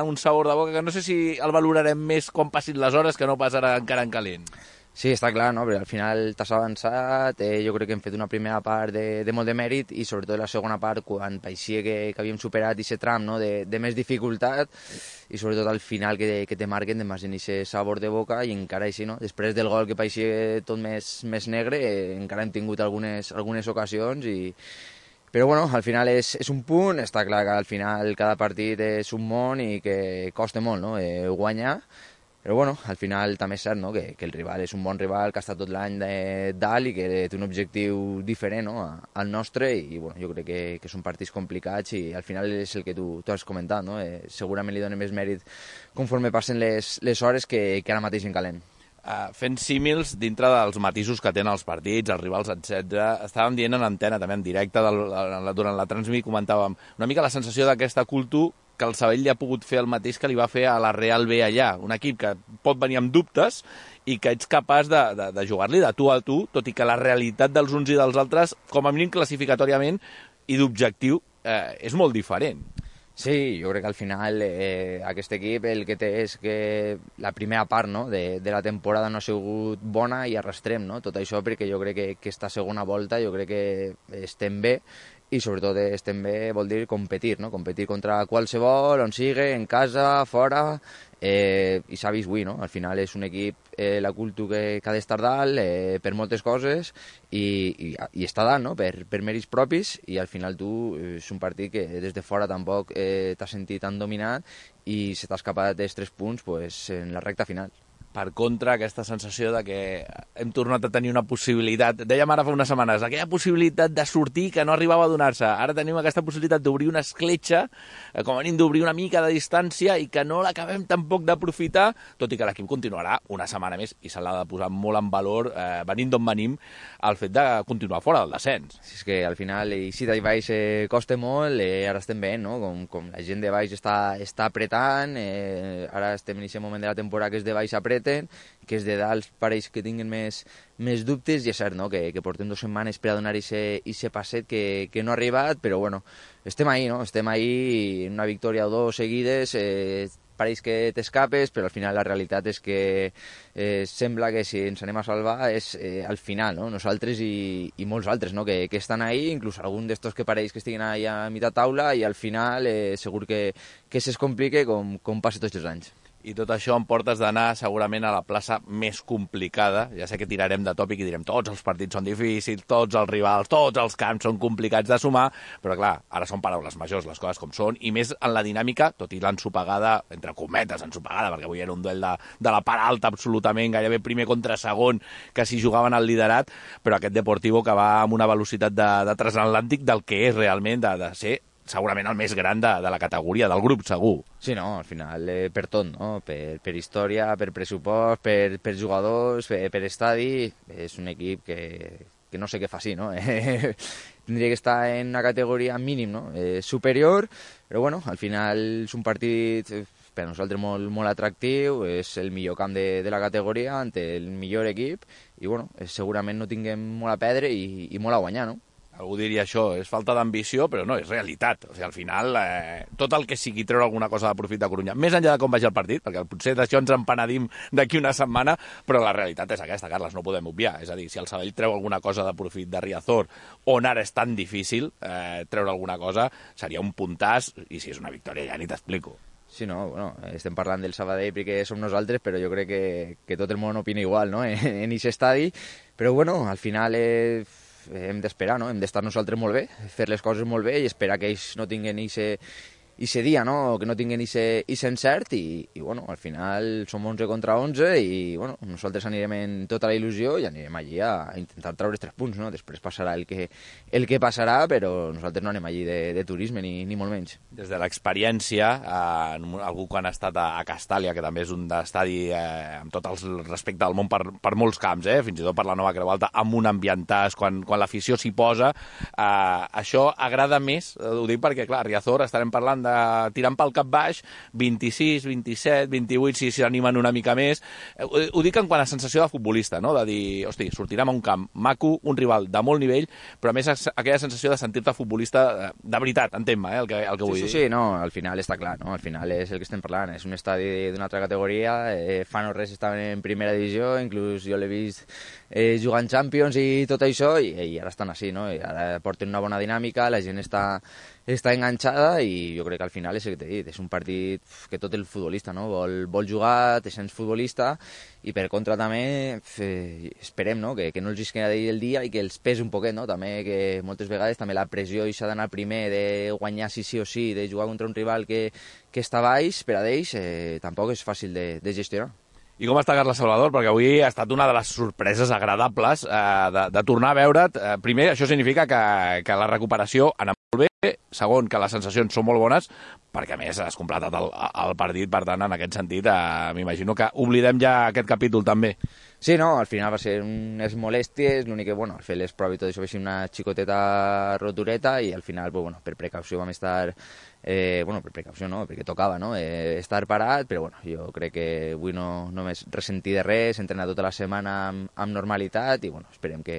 Speaker 5: un sabor de boca que no sé si el valorarem més quan passin les hores que no pas ara encara en calent.
Speaker 4: Sí, està clar, no? Perquè al final t'has avançat, eh, jo crec que hem fet una primera part de, de molt de mèrit i sobretot la segona part quan paeixia que, que havíem superat aquest tram, no? de, de més dificultat i sobretot al final que, que te marquen de més en aquest sabor de boca i encara així, no? Després del gol que paeixia tot més, més negre, eh, encara hem tingut algunes, algunes ocasions i però bueno, al final és, és un punt, està clar que al final cada partit és un món i que costa molt, no? eh, guanyar. Però bueno, al final també és cert, no? que, que el rival és un bon rival que ha estat tot l'any dalt i que té un objectiu diferent, no? al nostre i bueno, jo crec que, que són partits complicats i al final és el que tu, tu has comentat, no? eh, segurament li donen més mèrit conforme passen les, les hores que, que ara mateix en calent.
Speaker 5: Uh, fent símils dintre dels matisos que tenen els partits, els rivals, etcètera. Estàvem dient en antena, també en directe, del, durant la transmi, comentàvem una mica la sensació d'aquesta cultura que el Sabadell li ha pogut fer el mateix que li va fer a la Real B allà, un equip que pot venir amb dubtes i que ets capaç de, de, de jugar-li de tu a tu, tot i que la realitat dels uns i dels altres, com a mínim classificatòriament i d'objectiu, eh, és molt diferent.
Speaker 4: Sí, jo crec que al final eh, aquest equip el que té és que la primera part, no? de, de la temporada no ha sigut bona i arrastrem, no? tot això perquè jo crec que aquesta segona volta jo crec que estem bé i sobretot estem bé vol dir competir, no? competir contra qualsevol, on sigui, en casa, fora, eh, i s'ha vist avui, no? Al final és un equip, eh, la cultura que, que ha d'estar dalt eh, per moltes coses i, i, i està dalt, no? per, per mèrits propis i al final tu és un partit que des de fora tampoc eh, t'has sentit tan dominat i se t'ha escapat dels tres punts pues, en la recta final.
Speaker 5: Per contra, aquesta sensació de que hem tornat a tenir una possibilitat, dèiem ara fa unes setmanes, aquella possibilitat de sortir que no arribava a donar-se. Ara tenim aquesta possibilitat d'obrir una escletxa, com a mínim d'obrir una mica de distància i que no l'acabem tampoc d'aprofitar, tot i que l'equip continuarà una setmana més i se l'ha de posar molt en valor, eh, venint d'on venim, el fet de continuar fora del descens.
Speaker 4: Si és que al final, i si d'ahí baix eh, costa molt, eh, ara estem veient, no? com, com la gent de baix està, està apretant, eh, ara estem en aquest moment de la temporada que és de baix apreta, que és de dalt pareix que tinguin més, més dubtes i és cert, no? que, que portem dues setmanes per a donar aquest passet que, que no ha arribat, però bueno, estem ahí, no? estem ahí en una victòria o dos seguides, eh, pareix que t'escapes, però al final la realitat és que eh, sembla que si ens anem a salvar és eh, al final, no? nosaltres i, i molts altres no? que, que estan ahí, inclús algun d'estos que pareix que estiguin ahí a mitja taula i al final eh, segur que, que se'ls complique com, com passa tots els anys.
Speaker 5: I tot això em portes d'anar segurament a la plaça més complicada. Ja sé que tirarem de tòpic i direm tots els partits són difícils, tots els rivals, tots els camps són complicats de sumar, però clar, ara són paraules majors, les coses com són, i més en la dinàmica, tot i l'ensopegada, entre cometes, ensopegada, perquè avui era un duel de, de la part alta absolutament, gairebé primer contra segon, que s'hi jugaven al liderat, però aquest Deportivo que va amb una velocitat de, de transatlàntic del que és realment de, de ser segurament el més gran de, de la categoria, del grup, segur.
Speaker 4: Sí, no, al final, eh, per tot, no? Per, per història, per pressupost, per, per jugadors, per, per estadi, és un equip que, que no sé què fa així, no? Eh, tindria que estar en una categoria mínim, no? Eh, superior, però bueno, al final és un partit per a nosaltres molt, molt atractiu, és el millor camp de, de la categoria, ante el millor equip, i bueno, segurament no tinguem molt a perdre i, i molt a guanyar, no?
Speaker 5: Algú diria això, és falta d'ambició, però no, és realitat. O sigui, al final, eh, tot el que sigui treure alguna cosa de profit de Corunya, més enllà de com vagi el partit, perquè potser d'això ens en penedim d'aquí una setmana, però la realitat és aquesta, Carles, no podem obviar. És a dir, si el Sabadell treu alguna cosa de profit de Riazor, on ara és tan difícil eh, treure alguna cosa, seria un puntàs, i si és una victòria ja ni t'explico.
Speaker 4: Sí, no, bueno, estem parlant del Sabadell perquè som nosaltres, però jo crec que, que tot el món opina igual, no?, en aquest estadi. Però bueno, al final eh, hem d'esperar, no? Hem d'estar nosaltres molt bé, fer les coses molt bé i esperar que ells no tinguin ese dia, no? Que no tinguin ese encert i, i bueno, al final som onze contra onze i bueno, nosaltres anirem en tota la il·lusió i anirem allí a intentar treure tres punts, no? Després passarà el que, el que passarà, però nosaltres no anem allí de, de turisme ni, ni molt menys.
Speaker 5: Des de l'experiència, eh, algú que ha estat a, a Castàlia, que també és un estadi eh, amb tot el respecte del món per, per molts camps, eh, fins i tot per la Nova Creu Alta, amb un ambientàs, quan, quan l'afició s'hi posa, eh, això agrada més, ho dic perquè, clar, a Riazor estarem parlant de de tirant pel cap baix, vint-i-sis, vint-i-set, vint-i-vuit, si s'animen una mica més. Ho, ho dic en quant a sensació de futbolista, no? De dir, hosti, sortirem a un camp maco, un rival de molt nivell, però a més aquella sensació de sentir-te futbolista de veritat, entén-me, eh, el que, el que vull
Speaker 4: sí,
Speaker 5: dir.
Speaker 4: Sí, sí, no, al final està clar, no? Al final és el que estem parlant, és un estadi d'una altra categoria, eh, fa no res estaven en primera divisió, inclús jo l'he vist eh, jugant Champions i tot això, i, i ara estan així, no? I ara porten una bona dinàmica, la gent està, està enganxada, i jo crec que al final és el que t'he dit, és un partit que tot el futbolista, no? Vol, vol jugar, te sents futbolista, i per contra també eh, esperem, no? Que, que no els quedi d'ahir el dia i que els pesi un poquet, no? També que moltes vegades també la pressió i s'ha d'anar primer de guanyar sí sí o sí, de jugar contra un rival que, que està baix, per a d'ells eh, tampoc és fàcil de, de gestionar.
Speaker 5: I com està Carles Salvador? Perquè avui ha estat una de les sorpreses agradables eh, de, de tornar a veure't. Eh, primer, això significa que, que la recuperació ha anat molt bé. Segon, que les sensacions són molt bones, perquè a més has completat el, el partit. Per tant, en aquest sentit, eh, m'imagino que oblidem ja aquest capítol també.
Speaker 4: Sí, no, al final va ser unes molèsties, l'únic que, bueno, al fer les proves i tot això va ser una xicoteta rotureta, i al final, pues, bueno, per precaució vam estar... Eh, bueno, per precaució no, perquè tocava, no? Eh, estar parat, però bueno, jo crec que avui no només ressentir de res, entrenar tota la setmana amb, amb normalitat, i bueno, esperem que,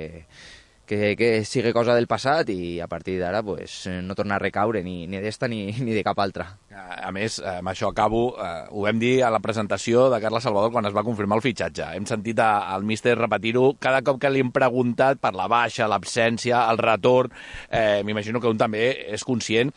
Speaker 4: que, que sigui cosa del passat, i a partir d'ara pues, no tornar a recaure ni, ni d'esta ni, ni de cap altra.
Speaker 5: A més, amb això acabo, eh, ho vam dir a la presentació de Carles Salvador quan es va confirmar el fitxatge. Hem sentit al míster repetir-ho cada cop que li hem preguntat per la baixa, l'absència, el retorn. Eh, m'imagino que un també és conscient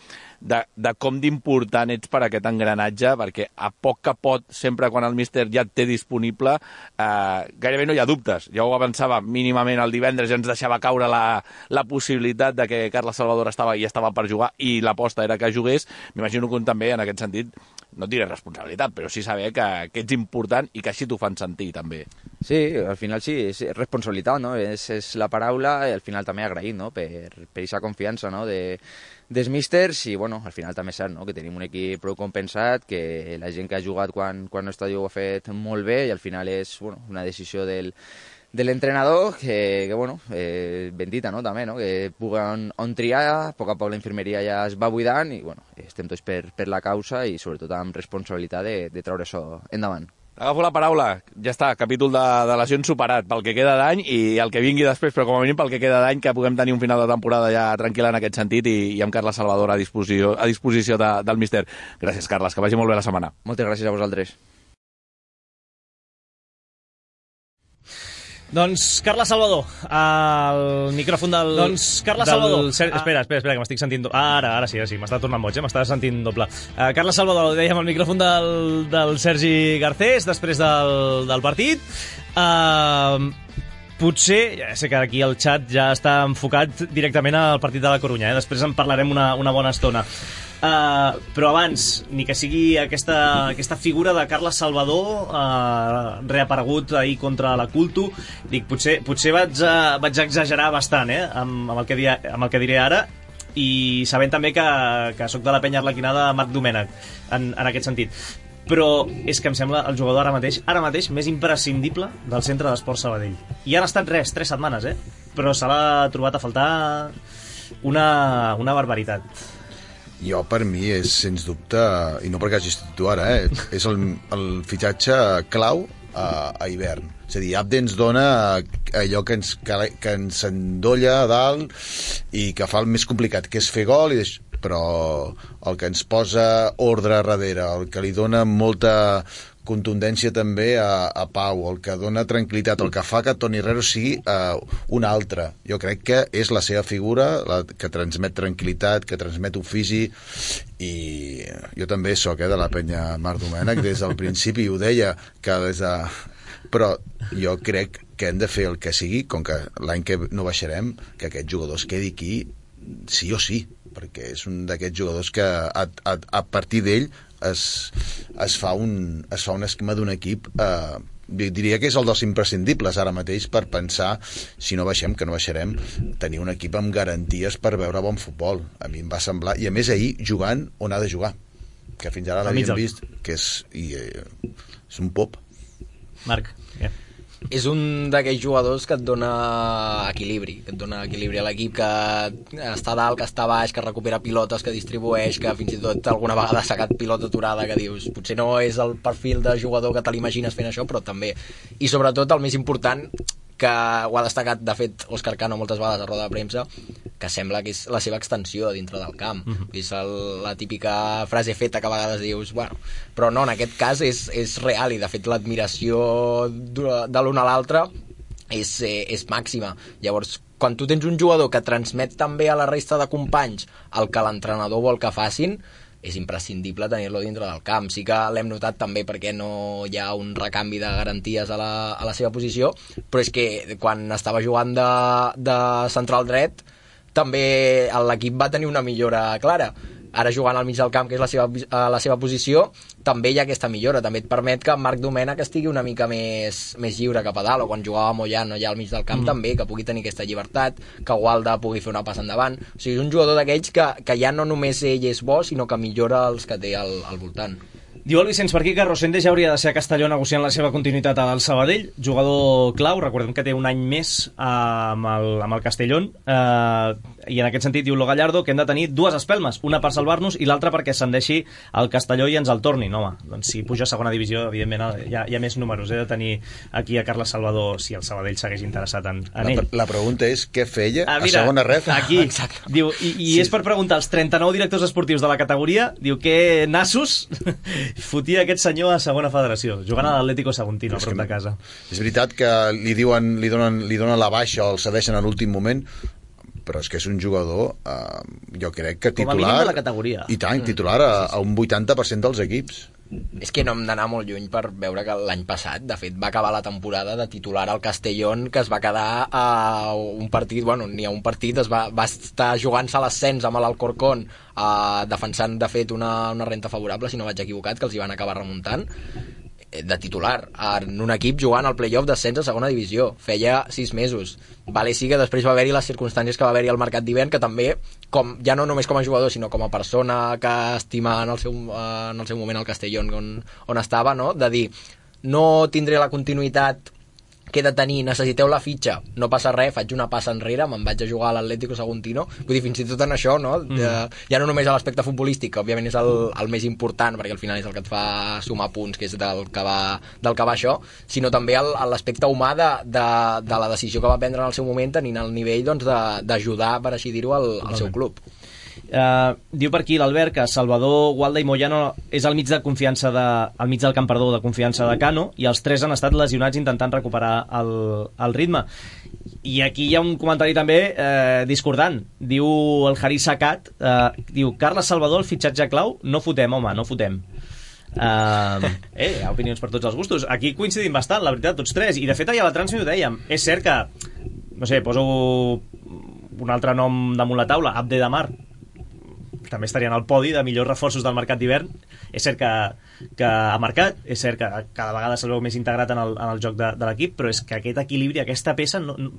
Speaker 5: de, de com d'important ets per aquest engranatge, perquè a poc que pot, sempre quan el míster ja et té disponible, eh, gairebé no hi ha dubtes. Ja ho avançava mínimament el divendres, ja ens deixava caure la, la possibilitat de que Carles Salvador estava i estava per jugar, i l'aposta era que jugués. M'imagino que un també, en aquest sentit, no et diré responsabilitat, però sí saber que, que ets important i que així t'ho fan sentir, també.
Speaker 4: Sí, al final sí, és responsabilitat, no? És, és la paraula, i al final també agraït, no? Per, per aquesta confiança, no? De, dels místers, i bueno, al final també és cert, no? Que tenim un equip prou compensat, que la gent que ha jugat quan, quan no està jo ho ha fet molt bé, i al final és, bueno, una decisió del, de l'entrenador, que, que bueno, eh, bendita, no? També, no? Que puguen on triar, a poc a poc la infermeria ja es va buidant, i bueno, estem tots per, per la causa, i sobretot amb responsabilitat de, de treure això endavant.
Speaker 5: Agafo la paraula, ja està, capítol de, de lesions superat pel que queda d'any i el que vingui després, però com a mínim pel que queda d'any, que puguem tenir un final de temporada ja tranquil en aquest sentit, i, i amb Carles Salvador a disposició, a disposició de, del míster. Gràcies, Carles, que vagi molt bé la setmana.
Speaker 4: Moltes gràcies a vosaltres.
Speaker 2: Doncs Carles Salvador, al micròfon del... Doncs Carles del... Salvador... Ser... Ah. Espera, espera, espera, que m'estic sentint... Ara, ara sí, ara sí, m'està tornant boig, eh? M'està sentint doble. Uh, Carles Salvador, dèiem al micròfon del, del Sergi Garcés, després del, del partit. Uh, potser, ja sé que aquí el xat ja està enfocat directament al partit de la Corunya, eh? Després en parlarem una, una bona estona. Uh, però abans, ni que sigui aquesta, aquesta figura de Carles Salvador uh, reaparegut ahir contra la Culto, dic, potser, potser vaig, uh, vaig exagerar bastant eh, amb, amb, el que dia, amb el que diré ara, i sabent també que, que sóc de la penya arlequinada Marc Domènech en, en aquest sentit, però és que em sembla el jugador ara mateix ara mateix més imprescindible del centre d'esport Sabadell, i han estat res, tres setmanes eh? Però se l'ha trobat a faltar una, una barbaritat.
Speaker 3: Jo, per mi, és sens dubte, i no perquè hagi estat tu ara, eh, és el, el fitxatge clau a, a hivern. És a dir, Abde ens dona allò que ens, que, que ens endolla a dalt i que fa el més complicat, que és fer gol, i deix... però el que ens posa ordre a darrere, el que li dona molta contundència també a, a Pau, el que dona tranquil·litat, el que fa que Toni Herrero sigui uh, un altre. Jo crec que és la seva figura, la que transmet tranquil·litat, que transmet ofici, i jo també soc eh, de la penya Marc Domènech, des del principi ho deia, que des de... però jo crec que hem de fer el que sigui, com que l'any que no baixarem, que aquest jugador es quedi aquí sí o sí, perquè és un d'aquests jugadors que a, a, a partir d'ell es, es, fa un, es fa un esquema d'un equip, eh, diria que és el dels imprescindibles ara mateix per pensar, si no baixem, que no baixarem, tenir un equip amb garanties per veure bon futbol. A mi em va semblar, i a més ahir jugant on ha de jugar, que fins ara l'havíem vist, que és, i, eh, és un pop.
Speaker 2: Marc, yeah.
Speaker 4: és un d'aquells jugadors que et dona equilibri, que et dona equilibri a l'equip, que està dalt, que està baix, que recupera pilotes, que distribueix, que fins i tot alguna vegada s'ha sacat pilota aturada, que dius, potser no és el perfil de jugador que te l'imagines fent això, però també. I sobretot el més important, que ho ha destacat, de fet, Òscar Cano moltes vegades a roda de premsa, que sembla que és la seva extensió dintre del camp. Uh-huh. És el, la típica frase feta que a vegades dius, bueno, però no, en aquest cas és, és real, i de fet l'admiració de l'un a l'altre és, és màxima. Llavors, quan tu tens un jugador que transmet també a la resta de companys el que l'entrenador vol que facin, és imprescindible tenir-lo dintre del camp. Sí que l'hem notat també perquè no hi ha un recanvi de garanties a la, a la seva posició, però és que quan estava jugant de, de central dret també l'equip va tenir una millora clara. Ara jugant al mig del camp, que és la seva, la seva posició, també hi ha aquesta millora. També et permet que Marc Domènech estigui una mica més, més lliure cap a dalt, o quan jugava Moyano allà al mig del camp mm. també, que pugui tenir aquesta llibertat, que Gualda pugui fer una passa endavant. O sigui, és un jugador d'aquells que, que ja no només ell és bo, sinó que millora els que té al, al voltant.
Speaker 2: Diu el Vicenç per aquí que Rosende ja hauria de ser a Castelló negociant la seva continuïtat al Sabadell, jugador clau, recordem que té un any més eh, amb, el, amb el Castellón, eh, i en aquest sentit diu Lo Gallardo que hem de tenir dues espelmes, una per salvar-nos i l'altra perquè s'endeixi el Castelló i ens el torni. No, home, doncs si puja a segona divisió, evidentment hi ha, hi ha més números. He de tenir aquí a Carles Salvador si el Sabadell segueix interessat en, en ell.
Speaker 3: La, la pregunta és què feia
Speaker 2: ah, mira,
Speaker 3: a segona ref?
Speaker 2: Aquí, diu, i, i sí. És per preguntar als trenta-nou directors esportius de la categoria, diu que nassos fotia aquest senyor a segona federació, jugant a l'Atlético Saguntino, a prop de casa.
Speaker 3: És veritat que li diuen, li donen, li donen la baixa o el cedeixen a l'últim moment, però és que és un jugador, eh, jo crec que titular...
Speaker 2: Com a mínim de la categoria.
Speaker 3: I tant, titular a, a un vuitanta per cent dels equips.
Speaker 4: És que no hem d'anar molt lluny per veure que l'any passat, de fet, va acabar la temporada de titular al Castellón, que es va quedar a un partit, bueno, ni a un partit, es va, va estar jugant-se a l'ascens amb l'Alcorcón, eh, defensant, de fet, una, una renta favorable, si no vaig equivocat, que els hi van acabar remuntant, de titular, en un equip jugant al playoff d'ascens a segona divisió. Feia sis mesos. Vale, sí que després va haver-hi les circumstàncies que va haver-hi al mercat d'hivern, que també, com, ja no només com a jugador, sinó com a persona que estima en el seu, en el seu moment al Castellón on, on estava, no? De dir, no tindré la continuïtat que he de tenir, necessiteu la fitxa, no passa res, faig una passa enrere, me'n vaig a jugar a l'Atlético Saguntino. Vull dir, fins i tot en això, no? Mm. De, ja no només a l'aspecte futbolístic, que òbviament és el, el més important, perquè al final és el que et fa sumar punts, que és del que va, del que va això, sinó també el, l'aspecte humà de, de, de la decisió que va prendre en el seu moment, tenint el nivell doncs, d'ajudar, per així dir-ho, al, al seu club.
Speaker 2: Uh, diu per aquí l'Albert que Salvador, Gualda i Moyano és al mig de confiança de, al mig del camp, perdó, de confiança de Cano, i els tres han estat lesionats intentant recuperar el, el ritme. I aquí hi ha un comentari també eh, discordant. Diu el Haris Sakat, eh, diu Carles Salvador, el fitxatge clau, no fotem, home, no fotem. Uh, eh, hi ha opinions per tots els gustos. Aquí coincidim bastant, la veritat, tots tres. I de fet allà a la transmissió ho dèiem. És cert que, no sé, poso un altre nom damunt la taula, Abde Damar també estarien al podi de millors reforços del mercat d'hivern. És cert que, que ha marcat, és cert que cada vegada se'l veu més integrat en el, en el joc de, de l'equip, però és que aquest equilibri, aquesta peça no, no,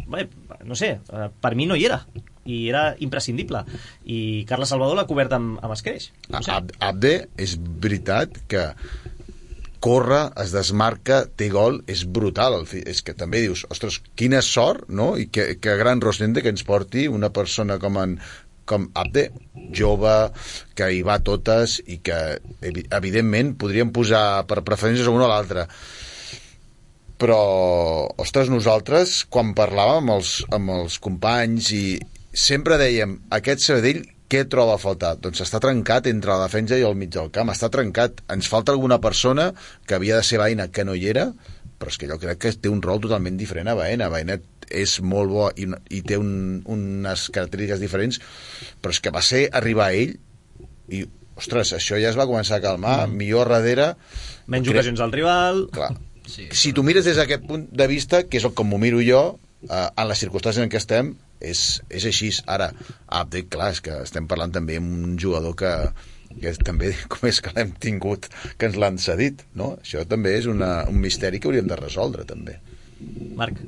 Speaker 2: no sé, per mi no hi era, i era imprescindible, i Carles Salvador l'ha cobert amb, amb escreix, no sé.
Speaker 3: Abde, és veritat que corre, es desmarca, té gol, és brutal. És que també dius, ostres, quina sort, no? I que, que gran Rosende que ens porti una persona com en com Abde, jove, que hi va totes i que, evidentment, podríem posar per preferències una o l'altra. Però, ostres, nosaltres, quan parlàvem amb els, amb els companys i sempre dèiem, aquest Sabadell, què troba a faltar? Doncs està trencat entre la defensa i el mig del camp, està trencat. Ens falta alguna persona que havia de ser Baena, que no hi era, però és que jo crec que té un rol totalment diferent a Baena. Baena és molt bo i, i té un, unes característiques diferents, però és que va ser arribar a ell i, ostres, això ja es va començar a calmar, mm. millor darrere...
Speaker 2: Menys crec... ocasions al rival...
Speaker 3: Clar. Sí, si tu mires des d'aquest punt de vista, que és el com m'ho miro jo, eh, en les circumstàncies en què estem, és, és així. Ara, Abde, clar, és que estem parlant també amb un jugador que, que també, com és que l'hem tingut, que ens l'han cedit, no? Això també és una, un misteri que hauríem de resoldre, també.
Speaker 2: Marc.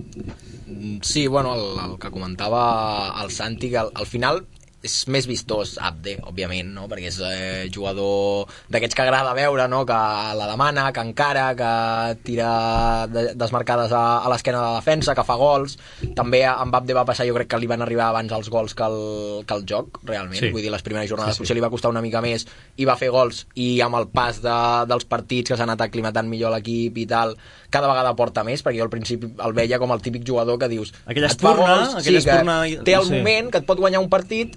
Speaker 4: Sí, bueno, el, el que comentava el Santi, que al, al final és més vistós Abde, òbviament, no? Perquè és eh, jugador d'aquests que agrada veure, no? Que la demana, que encara, que tira de, desmarcades a, a l'esquena de la defensa, que fa gols. També amb Abde va passar, jo crec que li van arribar abans els gols que el, que el joc, realment. Sí. Vull dir, les primeres jornades sí, sí. potser li va costar una mica més i va fer gols, i amb el pas de, dels partits que s'han anat aclimatant millor l'equip i tal, cada vegada porta més, perquè jo al principi el veia com el típic jugador que dius
Speaker 2: aquella espurna, gols, aquella
Speaker 4: sí,
Speaker 2: espurna
Speaker 4: té el
Speaker 2: sí.
Speaker 4: moment que et pot guanyar un partit,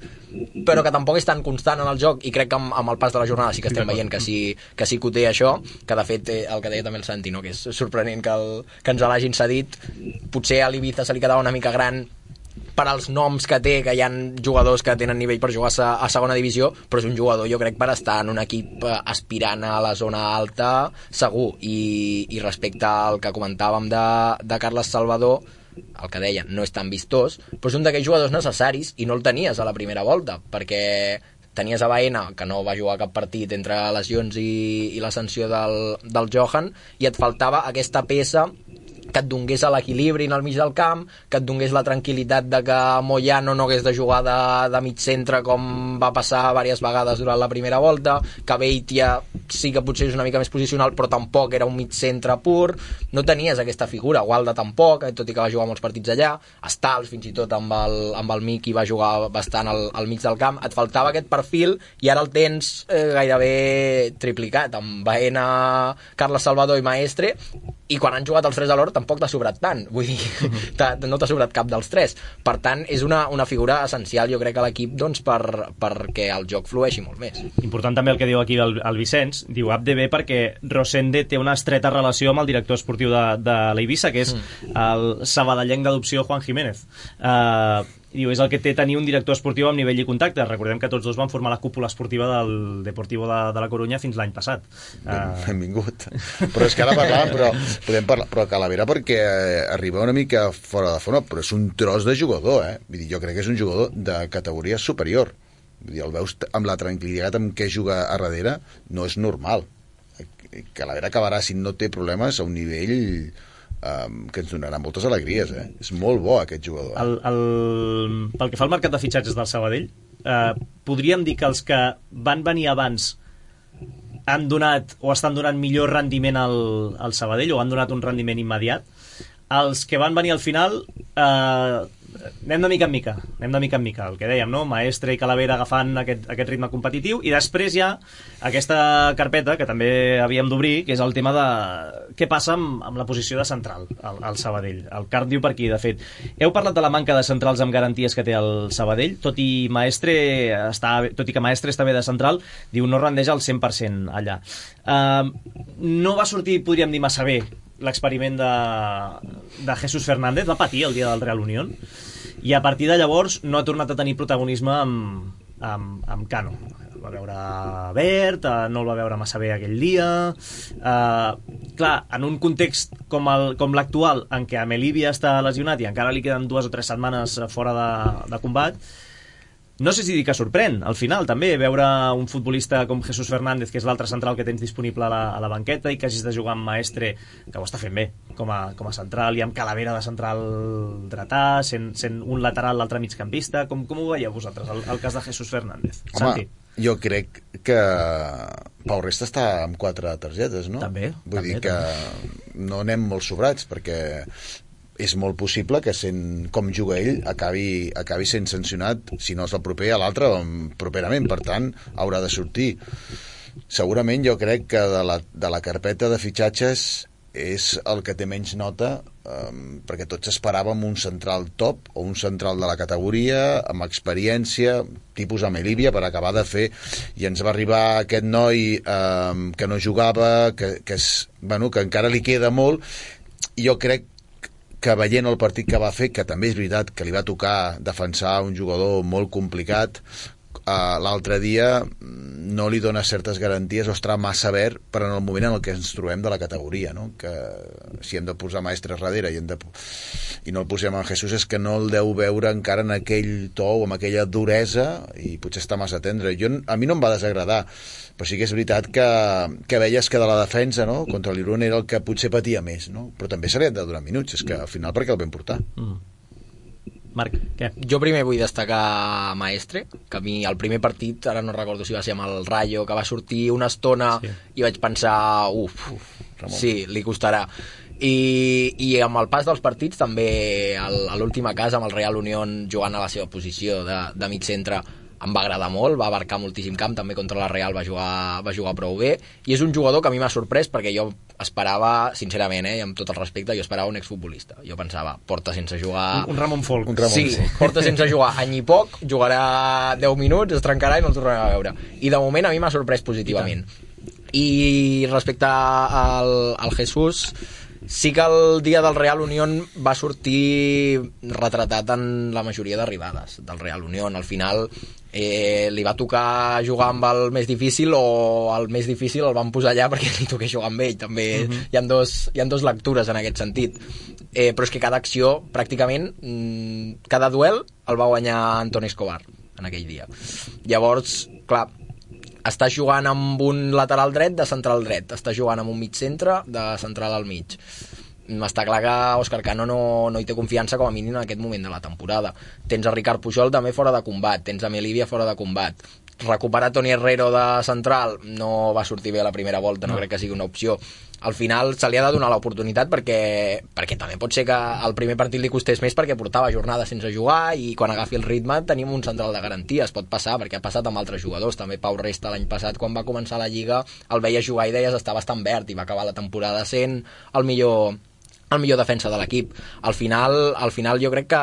Speaker 4: però que tampoc és tan constant en el joc, i crec que amb, amb el pas de la jornada sí que estem veient que sí, que sí que ho té això, que de fet el que deia també el Santi, no? Que és sorprenent que, el, que ens l'hagin cedit. Potser a l'Ibiza se li quedava una mica gran per als noms que té, que hi ha jugadors que tenen nivell per jugar a segona divisió, però és un jugador, jo crec, per estar en un equip aspirant a la zona alta segur. I, i respecte al que comentàvem de, de Carles Salvador, el que deia, no és tan vistós, però és un d'aquells jugadors necessaris, i no el tenies a la primera volta, perquè tenies a Baena, que no va jugar cap partit entre lesions i, i la sanció del, del Johan, i et faltava aquesta peça que et donés l'equilibri en el mig del camp, que et donés la tranquil·litat de que Moyano no hagués de jugar de, de mig centre com va passar diverses vegades durant la primera volta, que Beitia sí que potser és una mica més posicional però tampoc era un mig centre pur, no tenies aquesta figura. Gualda tampoc, tot i que va jugar molts partits allà, Stals fins i tot amb el, amb el Miki va jugar bastant al, al mig del camp. Et faltava aquest perfil i ara el tens eh, gairebé triplicat, amb Baena, Carles Salvador i Maestre, i quan han jugat els tres a l'Hort tampoc t'ha sobrat tant, vull dir, mm-hmm. no t'ha sobrat cap dels tres. Per tant, és una, una figura essencial, jo crec, a l'equip, doncs, per, perquè el joc flueixi molt més.
Speaker 2: Important també el que diu aquí el, el Vicenç, diu Abde bé perquè Rosende té una estreta relació amb el director esportiu de, de l'Eivissa, que és mm. el sabadellenc d'adopció Juan Jiménez. Uh, diu, és el que té tenir un director esportiu amb nivell i contacte. Recordem que tots dos van formar la cúpula esportiva del Deportivo de, de la Corunya fins l'any passat.
Speaker 3: Ben, benvingut. Però és que ara parlàvem, però podem parlar, però Calavera perquè arriba una mica fora de forma, però és un tros de jugador, eh? Vull dir, jo crec que és un jugador de categoria superior. Vull dir, el veus amb la tranquil·litat amb què juga a darrere, no és normal. Calavera acabarà, si no té problemes, a un nivell Um, que ens donarà moltes alegries, eh? És molt bo aquest jugador.
Speaker 2: El, el, pel que fa al mercat de fitxatges del Sabadell, eh, podríem dir que els que van venir abans han donat o estan donant millor rendiment al, al Sabadell, o han donat un rendiment immediat. Els que van venir al final, eh, anem de mica en mica, anem de mica en mica, el que dèiem, no? Maestre i Calavera agafant aquest, aquest ritme competitiu, i després hi ha aquesta carpeta que també havíem d'obrir, que és el tema de què passa amb, amb la posició de central al, al Sabadell. El Cart diu per aquí, de fet. Heu parlat de la manca de centrals amb garanties que té el Sabadell, tot i Maestre està, tot i que Maestre està bé de central, diu no rendeix al cent per cent allà. Uh, no va sortir, podríem dir, massa bé l'experiment de, de Jesús Fernández, va patir el dia del Real Unión, i a partir de llavors no ha tornat a tenir protagonisme amb, amb, amb Cano. El va veure verd, no el va veure massa bé aquell dia. Uh, clar, en un context com, el, com l'actual, en què Amelivia està lesionat i encara li queden dues o tres setmanes fora de, de combat, no sé si dir que sorprèn, al final, també, veure un futbolista com Jesús Fernández, que és l'altre central que tens disponible a la, a la banqueta, i que hagis de jugar amb Maestre, que ho està fent bé, com a, com a central, i amb Calavera de central dretà, sent, sent un lateral, l'altre migcampista. Com, com ho veieu vosaltres, el, el cas de Jesús Fernández?
Speaker 3: Home, Santi? Jo crec que Pau Resta està amb quatre targetes, no?
Speaker 2: També.
Speaker 3: Vull
Speaker 2: també,
Speaker 3: dir que
Speaker 2: també.
Speaker 3: No anem molt sobrats, perquè és molt possible que, sent com juga ell, acabi, acabi sent sancionat, si no és el proper, a l'altre properament. Per tant, haurà de sortir. Segurament jo crec que de la, de la carpeta de fitxatges és el que té menys nota, um, perquè tots esperàvem un central top o un central de la categoria, amb experiència, tipus Amelivia, per acabar de fer, i ens va arribar aquest noi um, que no jugava, que, que, és, bueno, que encara li queda molt, i jo crec que veient el partit que va fer, que també és veritat que li va tocar defensar un jugador molt complicat, uh, l'altre dia no li dona certes garanties o estarà massa verd per en el moment en el que ens trobem de la categoria, no? Que si hem de posar Maestres darrere i, hem de, i no el posem en Jesús, és que no el deu veure encara en aquell to o amb aquella duresa, i potser està massa tendre. Jo, a mi no em va desagradar, però sí que és veritat que, que veies que de la defensa, no? Contra l'Irun era el que potser patia més, no? Però també se li han de donar minuts, és que al final per què el vam portar? Mm.
Speaker 2: Marc, què?
Speaker 4: Jo primer vull destacar Maestre, que a mi el primer partit, ara no recordo si va ser amb el Rayo, que va sortir una estona sí. i vaig pensar, uf, uf sí, li costarà. I, i amb el pas dels partits també el, a l'última casa amb el Real Unión jugant a la seva posició de, de mig centre em va agradar molt, va abarcar moltíssim camp, també contra la Real va jugar, va jugar prou bé, i és un jugador que a mi m'ha sorprès perquè jo esperava, sincerament, eh, i amb tot el respecte, jo esperava un exfutbolista. Jo pensava, porta sense jugar...
Speaker 2: Un, un Ramon Folk.
Speaker 3: Un Ramon
Speaker 4: sí,
Speaker 3: Folk.
Speaker 4: porta sense jugar any i poc, jugarà deu minuts, es trencarà i no el tornarà a veure. I de moment a mi m'ha sorprès positivament. I, I respecte al, al Jesús... Sí que el dia del Real Unión va sortir retratat en la majoria d'arribades del Real Unión. Al final eh, li va tocar jugar amb el més difícil o el més difícil el van posar allà perquè li toqués jugar amb ell. També uh-huh. hi, ha dos, hi ha dos lectures en aquest sentit. Eh, però és que cada acció, pràcticament, mmm, cada duel el va guanyar Antoni Escobar en aquell dia. Llavors, clar, està jugant amb un lateral dret de central dret, està jugant amb un mig centre de central al mig. Està clar que Òscar Cano no, no hi té confiança com a mínim en aquest moment de la temporada. Tens a Ricard Pujol també fora de combat, tens a Melivia fora de combat. Recuperar Toni Herrero de central no va sortir bé a la primera volta, no, no crec que sigui una opció. Al final se li ha de donar l'oportunitat perquè, perquè també pot ser que el primer partit li costés més perquè portava jornada sense jugar i quan agafi el ritme tenim un central de garanties. Pot passar, perquè ha passat amb altres jugadors. També Pau Resta l'any passat, quan va començar la Lliga, el veia jugar i deies està bastant verd i va acabar la temporada sent el millor el millor defensa de l'equip. Al final, al final jo crec que,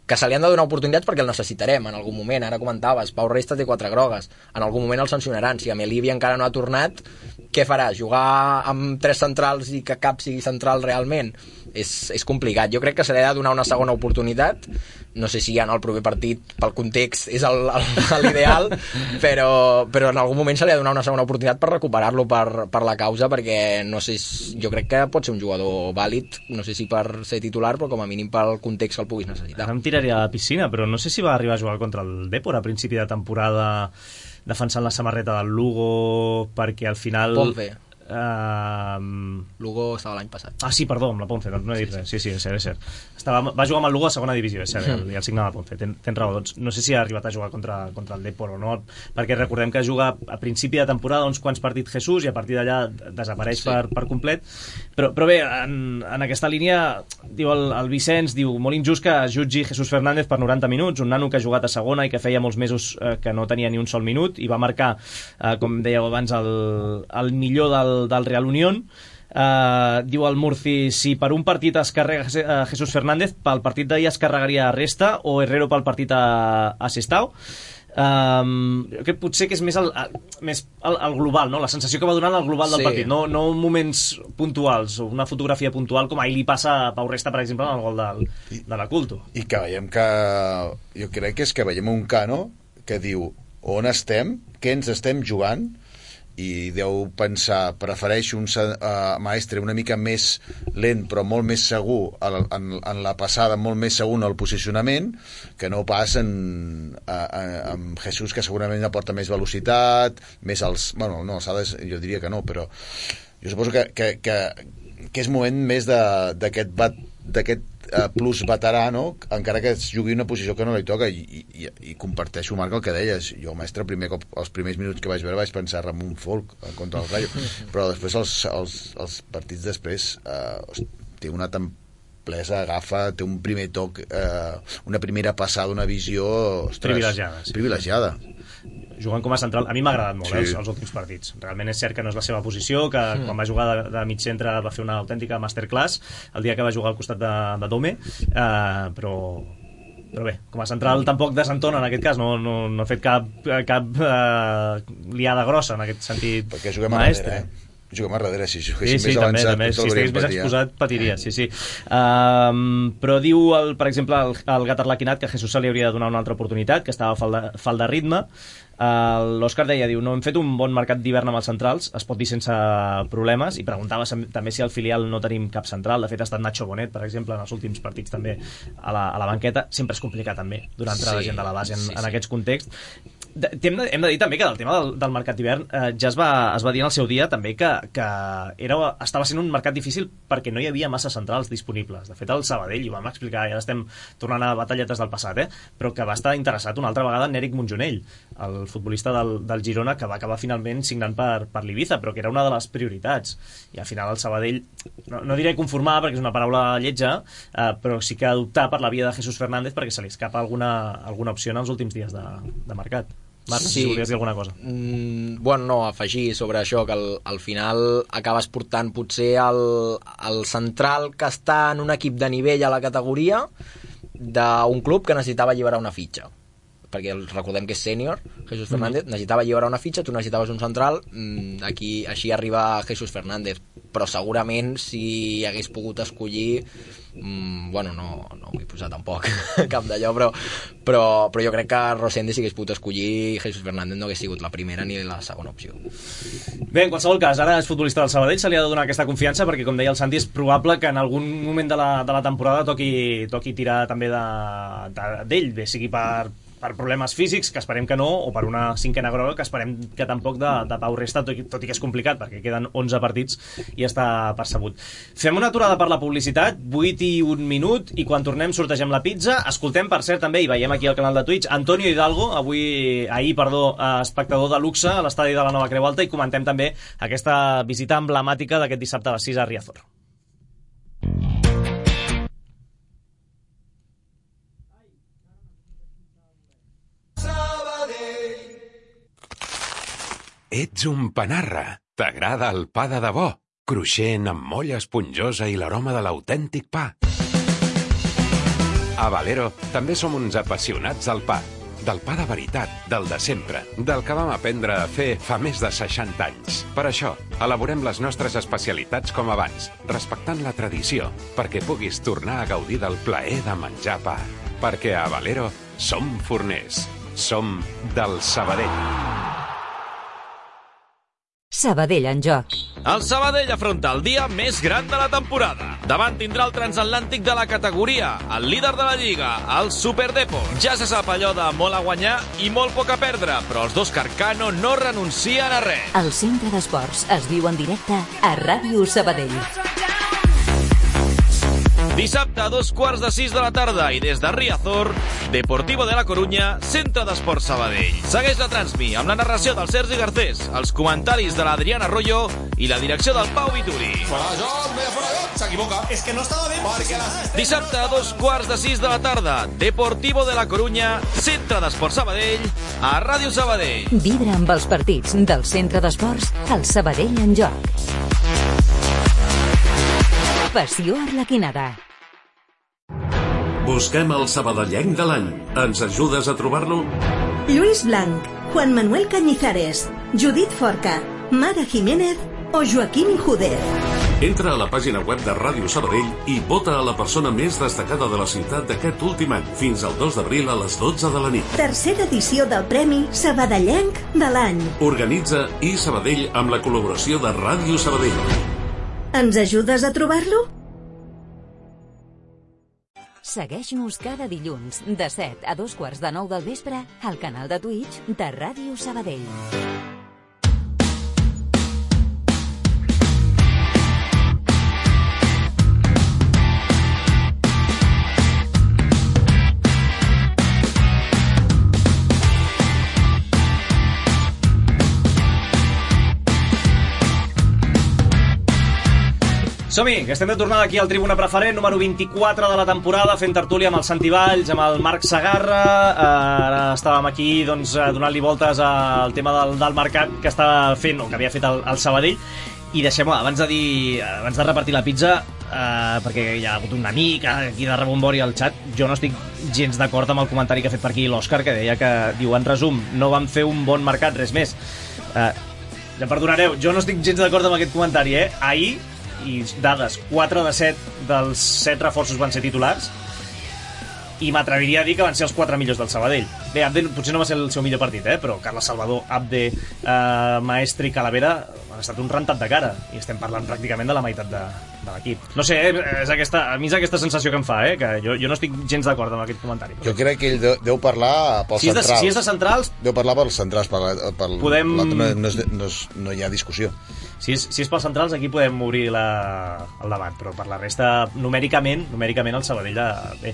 Speaker 4: que se li han de donar oportunitats perquè el necessitarem en algun moment. Ara comentaves, Pau Resta té quatre grogues. En algun moment el sancionaran. Si a Melivia encara no ha tornat, què farà? Jugar amb tres centrals i que cap sigui central realment? És, és complicat. Jo crec que se li ha de donar una segona oportunitat. No sé si ja en el proper partit, pel context, és el, el, l'ideal, però, però en algun moment se li ha de donar una segona oportunitat per recuperar-lo per, per la causa, perquè no sé, jo crec que pot ser un jugador vàlid, no sé si per ser titular, però com a mínim pel context que el puguis necessitar.
Speaker 2: Ara em tiraria a la piscina, però no sé si va arribar a jugar contra el Depor a principi de temporada defensant la samarreta del Lugo, perquè al final...
Speaker 4: Ponce.
Speaker 2: Uh...
Speaker 4: Lugo estava l'any passat.
Speaker 2: Ah, sí, perdó, amb la Ponce, no, no he dit res. Sí, sí, és cert, és cert. Estava, va jugar amb el Lugo a segona divisió, és cert, mm. i el signava Ponce. Ten, tens raó, doncs no sé si ha arribat a jugar contra, contra el Depor o no, perquè recordem que juga a principi de temporada uns quants partits Jesús i a partir d'allà desapareix sí. per, per complet. Però, però bé, en, en aquesta línia, diu el, el Vicenç, diu molt injust que jutgi Jesús Fernández per noranta minuts, un nano que ha jugat a segona i que feia molts mesos eh, que no tenia ni un sol minut i va marcar, eh, com dèieu abans, el, el millor del del Real Unión. Uh, diu el Murci, si per un partit es carrega uh, Jesús Fernández, pel partit d'ahir es carregaria a Resta o Herrero pel partit a, a Sestao. Um, que potser que és més el, més el, el global, no? La sensació que va donant el global del sí. partit, no, no moments puntuals o una fotografia puntual com ahir li passa a Pau Resta, per exemple, en el gol del, de la Culto.
Speaker 3: I que veiem que jo crec que és que veiem un Cano que diu on estem, què ens estem jugant, i deu pensar, prefereixo un uh, Maestre una mica més lent però molt més segur en, en, en la passada, molt més segur en el posicionament, que no pas en, a, a, amb Jesús, que segurament aporta més velocitat, més als... Bueno, no, alçades jo diria que no, però jo suposo que, que, que, que és moment més d'aquest d'aquest uh, plus veterà, no? Encara que es jugui una posició que no li toca, i, i, i comparteixo, Marc, el que deies. Jo, Mestre, primer cop, els primers minuts que vaig veure vaig pensar Ramon Folk contra el Rayo, però després els, els, els partits després eh, té una templesa, agafa, té un primer toc, eh, una primera passada, una visió, ostres,
Speaker 2: privilegiada, sí.
Speaker 3: privilegiada.
Speaker 2: Jugant com a central, a mi m'ha agradat molt, sí. eh, els, els últims partits. Realment és cert que no és la seva posició, que mm. quan va jugar de, de mig centre va fer una autèntica masterclass el dia que va jugar al costat de, de Dome, eh, però però bé, com a central tampoc desentona en aquest cas, no, no, no ha fet cap, cap eh, liada grossa en aquest sentit.
Speaker 3: Perquè juguem a
Speaker 2: Maestre.
Speaker 3: darrere, eh? Juguem a darrere, si juguéssim
Speaker 2: sí, sí,
Speaker 3: més
Speaker 2: també,
Speaker 3: avançat,
Speaker 2: també. Si estigués més exposat, patiria, sí, sí. Um, però diu, el, per exemple, el, el Gat Arlequinat que a Jesús se li hauria de donar una altra oportunitat, que estava fal de, fal de ritme. L'Òscar deia, diu, no hem fet un bon mercat d'hivern amb els centrals, es pot dir sense problemes, i preguntava també si al filial no tenim cap central. De fet, ha estat Nacho Bonet, per exemple, en els últims partits també a la, a la banqueta. Sempre és complicat també donar entrada sí, gent de la base en, sí, sí. en aquests contexts. De, hem, de, hem de dir també que del tema del, del mercat d'hivern eh, ja es va, es va dir en el seu dia també que, que era, estava sent un mercat difícil perquè no hi havia massa centrals disponibles. De fet, el Sabadell, i ho vam explicar, ja estem tornant a batalletes del passat, eh? però que va estar interessat una altra vegada en Eric Monjonell, el futbolista del, del Girona, que va acabar finalment signant per, per l'Ibiza, però que era una de les prioritats. I al final el Sabadell, no, no diré conformar perquè és una paraula lletja, eh, però sí que adoptar per la via de Jesús Fernández perquè se li escapa alguna, alguna opció en els últims dies de, de mercat. Marc, sí. si volies dir alguna cosa.
Speaker 4: Mm, bueno, no, afegir sobre això que al, al final acabes portant potser el, el central que està en un equip de nivell a la categoria d'un club que necessitava alliberar una fitxa, perquè recordem que és sènior, Jesús Fernández, mm-hmm. necessitava alliberar una fitxa, tu necessitaves un central, aquí així arriba Jesús Fernández, però segurament si hagués pogut escollir mm, bueno, no, no m'hi posat tampoc cap d'allò, però, però, però jo crec que Rosende si hagués pogut escollir Jesús Fernández no hagués sigut la primera ni la segona opció.
Speaker 2: Bé, en qualsevol cas, ara és futbolista del Sabadell, se li ha de donar aquesta confiança perquè, com deia el Santi, és probable que en algun moment de la, de la temporada toqui, toqui tirar també d'ell, de, de, bé sigui per per problemes físics, que esperem que no, o per una cinquena groga, que esperem que tampoc de, de Pau resta, tot i, tot i que és complicat, perquè queden onze partits i està percebut. Fem una aturada per la publicitat, vuit i un minut, i quan tornem sortegem la pizza. Escoltem, per cert, també, i veiem aquí al canal de Twitch, Antonio Hidalgo, avui, ahir, perdó, espectador de luxe a l'estadi de la Nova Creu Alta, i comentem també aquesta visita emblemàtica d'aquest dissabte a les sis a Riazor.
Speaker 6: Ets un panarra. T'agrada el pa de debò, cruixent amb molla esponjosa i l'aroma de l'autèntic pa. A Valero també som uns apassionats del pa. Del pa de veritat, del de sempre, del que vam aprendre a fer fa més de seixanta anys. Per això, elaborem les nostres especialitats com abans, respectant la tradició, perquè puguis tornar a gaudir del plaer de menjar pa. Perquè a Valero som forners. Som del Sabadell.
Speaker 1: Sabadell en joc.
Speaker 7: El Sabadell afronta el dia més gran de la temporada. Davant tindrà el transatlàntic de la categoria, el líder de la Lliga, el Superdeport. Ja se sap allò de molt a guanyar i molt poc a perdre, però els dos Carcano no renuncien a res.
Speaker 1: El Centre d'Esports es viu en directe a Ràdio Sabadell.
Speaker 7: Dissabte a dos quarts de sis de la tarda i des de Riazor, Deportivo de la Corunya, Centre d'Esports Sabadell. Segueix la transmi amb la narració del Sergi Garcés, els comentaris de l'Adriana Arroyo i la direcció del Pau Vituri.
Speaker 8: Fora de joc, no hi ha fora de joc, s'equivoca. És que no estava bé. Perquè la...
Speaker 7: Dissabte a dos quarts de sis de la tarda, Deportivo de la Corunya, Centre d'Esports Sabadell, a Ràdio Sabadell.
Speaker 1: Vibra amb els partits del Centre d'Esports, el Sabadell en joc. Passió Arlequinada.
Speaker 9: Busquem el sabadellenc de l'any. Ens ajudes a trobar-lo?
Speaker 10: Lluís Blanc, Juan Manuel Cañizares, Judit Forca, Mara Jiménez o Joaquín Juder.
Speaker 9: Entra a la pàgina web de Ràdio Sabadell i vota a la persona més destacada de la ciutat d'aquest últim any, fins al dos d'abril a les dotze de la nit.
Speaker 10: Tercera edició del Premi Sabadellenc de l'any.
Speaker 9: Organitza i Sabadell amb la col·laboració de Ràdio Sabadell.
Speaker 10: Ens ajudes a trobar-lo?
Speaker 1: Segueix-nos cada dilluns de set a dos quarts de nou del vespre al canal de Twitch de Ràdio Sabadell.
Speaker 2: Som-hi, que estem de tornada aquí al Tribuna Preferent, número vint-i-quatre de la temporada, fent tertúlia amb el Santi Valls, amb el Marc Segarra. Ara estàvem aquí doncs, donant-li voltes al tema del, del mercat que estava fent, o que havia fet el, el Sabadell. I deixem-ho, abans de dir, abans de repartir la pizza, eh, perquè hi ha hagut un amic aquí de rebombori al xat, jo no estic gens d'acord amb el comentari que ha fet per aquí l'Òscar, que deia que, diu, en resum, no van fer un bon mercat, res més. Eh, ja perdonareu, jo no estic gens d'acord amb aquest comentari, eh? Ahir, i dades, quatre de set dels set reforços van ser titulars. i m'atreviria a dir que van ser els quatre millors del Sabadell. Bé, Abde potser no va ser el seu millor partit, eh? Però Carles Salvador, Abde, eh, Maestre i Calavera han estat un rentat de cara i estem parlant pràcticament de la meitat de, de l'equip. No sé, eh? és aquesta, a mi és aquesta sensació que em fa, eh? Que jo, jo no estic gens d'acord amb aquest comentari.
Speaker 3: Jo crec que ell deu, deu parlar pels
Speaker 2: si
Speaker 3: centrals.
Speaker 2: De, si és de centrals...
Speaker 3: Deu parlar pels centrals, per, per
Speaker 2: podem...
Speaker 3: no, no, és, no, és, no hi ha discussió.
Speaker 2: Si és, si és pels centrals, aquí podem obrir la, el debat, però per la resta, numèricament, numèricament el Sabadell ha, bé,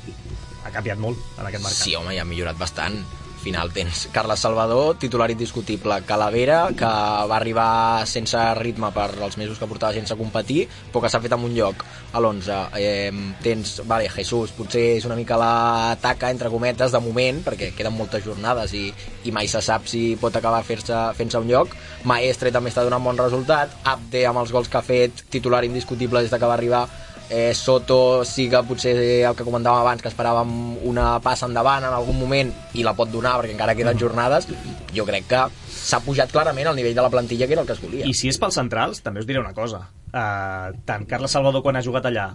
Speaker 2: ha canviat molt en aquest mercat.
Speaker 4: Sí, home, ja ha millorat bastant. Al final tens Carles Salvador, titular indiscutible, Calavera, que va arribar sense ritme per als mesos que portava sense competir, però que s'ha fet en un lloc a l'onze. Eh, tens, vale, Jesús, potser és una mica la taca, entre cometes, de moment, perquè queden moltes jornades i, i mai se sap si pot acabar fer-se fent-se un lloc. Maestre també està donant bon resultat. Abde, amb els gols que ha fet, titular indiscutible des que va arribar. Eh, Soto sí que potser el que comentàvem abans, que esperàvem una passa endavant en algun moment i la pot donar perquè encara queden jornades. Jo crec que s'ha pujat clarament al nivell de la plantilla, que era el que es volia.
Speaker 2: I si és pels centrals, també us diré una cosa, uh, tant Carles Salvador quan ha jugat allà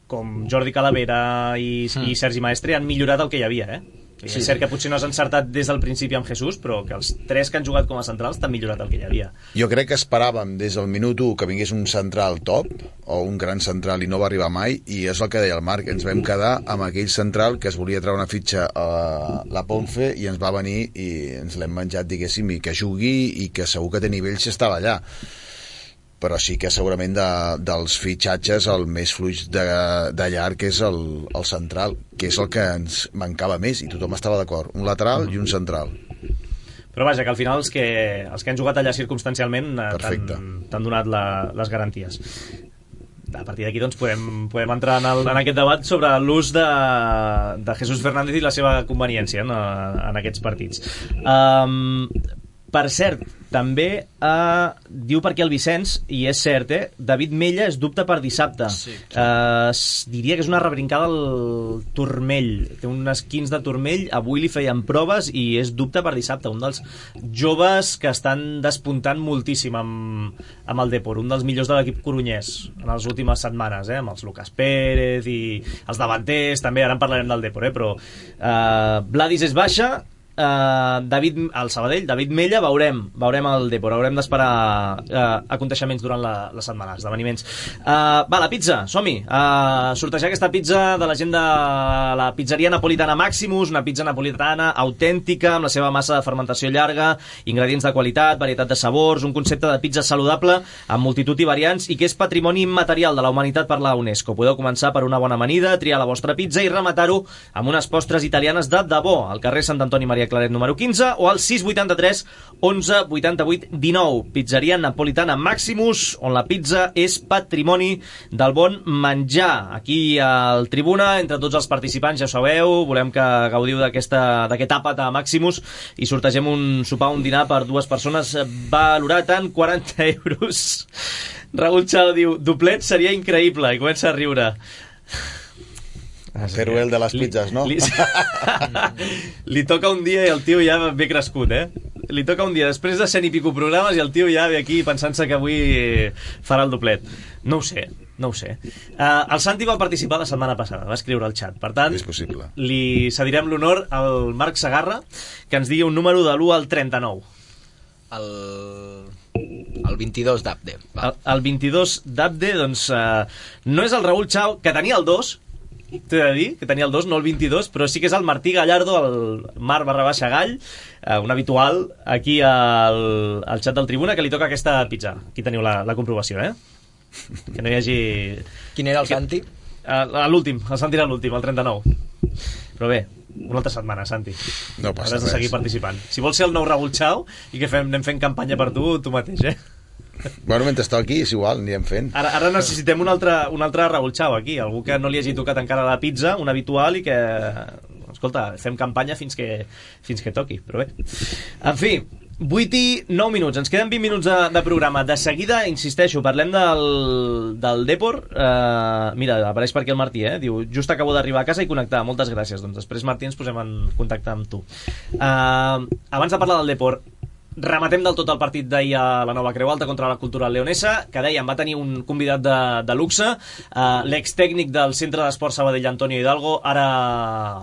Speaker 2: com Jordi Calavera i, mm. i Sergi Maestre han millorat el que hi havia, eh? Sí, és cert que potser no has encertat des del principi amb Jesús, però que els tres que han jugat com a centrals t'han millorat el que hi havia.
Speaker 3: Jo crec que esperàvem des del minut u que vingués un central top o un gran central i no va arribar mai, i és el que deia el Marc, ens vam quedar amb aquell central que es volia treure una fitxa a la Ponfe i ens va venir i ens l'hem menjat, diguéssim, i que jugui i que segur que té nivell si estava allà. Però sí que segurament de, dels fitxatges el més fluix de, de llarg és el, el central, que és el que ens mancava més i tothom estava d'acord, un lateral i un central.
Speaker 2: Però vaja, que al final els que, els que han jugat allà circumstancialment t'han donat la, les garanties. A partir d'aquí doncs podem, podem entrar en, el, en aquest debat sobre l'ús de, de Jesús Fernández i la seva conveniència en, en aquests partits. Um, Per cert, també eh, diu per aquí el Vicenç, i és cert, eh? David Mella es dubta per dissabte. Sí, sí. Eh, diria que és una rebrincada al turmell. Té un esquins de turmell, avui li feien proves i és dubte per dissabte. Un dels joves que estan despuntant moltíssim amb, amb el Depor, un dels millors de l'equip corunyès en les últimes setmanes, eh? Amb els Lucas Pérez i els davanters, també, ara en parlarem del Depor, eh? Però eh, Vladis és baixa. Uh, David, el Sabadell, David Mella, veurem veurem el Depor, haurem d'esperar uh, aconteixements durant la, la setmana, esdeveniments. Uh, va, la pizza, som-hi, uh, sortejar aquesta pizza de la gent de la pizzeria napolitana Maximus, una pizza napolitana autèntica, amb la seva massa de fermentació llarga, ingredients de qualitat, varietat de sabors, un concepte de pizza saludable amb multitud i variants i que és patrimoni immaterial de la humanitat per la UNESCO. Podeu començar per una bona amanida, triar la vostra pizza i rematar-ho amb unes postres italianes de debò, al carrer Sant Antoni Maria Claret número quinze o al sis vuitanta-tres onze vuitanta-vuit dinou. Pizzeria napolitana Maximus, on la pizza és patrimoni del bon menjar. Aquí al Tribuna, entre tots els participants, ja ho sabeu, volem que gaudiu d'aquest àpat a Maximus i sortegem un sopar, un dinar per dues persones valorat en quaranta euros. Raül Chao diu, doblet seria increïble, i comença a riure.
Speaker 3: Però el de les pizzas, no?
Speaker 2: Li, li toca un dia i el tio ja ve crescut, eh? Li toca un dia després de cent i pico programes i el tio ja ve aquí pensant-se que avui farà el doblet. No ho sé, no ho sé. Uh, el Santi va participar la setmana passada, va escriure al xat. Per tant,
Speaker 3: és possible.
Speaker 2: Li cedirem l'honor al Marc Segarra que ens digui un número de l'u al trenta-nou.
Speaker 4: El... el vint-i-dos d'Abde.
Speaker 2: El, el vint-i-dos d'Abde, doncs, uh, no és el Raül Chao, que tenia el dos, t'he de dir, que tenia el dos, no el vint-i-dos, però sí que és el Martí Gallardo, el Mar barra baixa Gall, eh, un habitual aquí al, al xat del Tribuna, que li toca aquesta pizza. Aquí teniu la, la comprovació, eh? Que no hi hagi...
Speaker 4: Quin era el Santi?
Speaker 2: Uh, l'últim, el Santi era l'últim, el trenta-nou. Però bé, una altra setmana, Santi.
Speaker 3: No passa res.
Speaker 2: Has de seguir participant. Si vols ser el nou Raül Chao i que fem, anem fent campanya per tu, tu mateix, eh?
Speaker 3: Bueno, mentre està aquí és igual, anirem fent.
Speaker 2: Ara, ara necessitem un altre, un altre Raül Chao aquí, algú que no li hagi tocat encara la pizza, un habitual, i que, escolta, fem campanya fins que, fins que toqui, però bé. En fi, vuit i nou minuts, ens queden vint minuts de, de programa. De seguida, insisteixo, parlem del, del Depor. Uh, mira, apareix per aquí el Martí, eh? Diu, just acabo d'arribar a casa i connectar, moltes gràcies. Doncs després, Martí, ens posem en contacte amb tu. Uh, abans de parlar del Depor, Rematem del tot el partit d'ahir a la Nova Creu Alta contra la Cultural Leonesa, que dèiem va tenir un convidat de, de luxe, uh, l'extècnic del Centre d'Esport Sabadell, Antonio Hidalgo, ara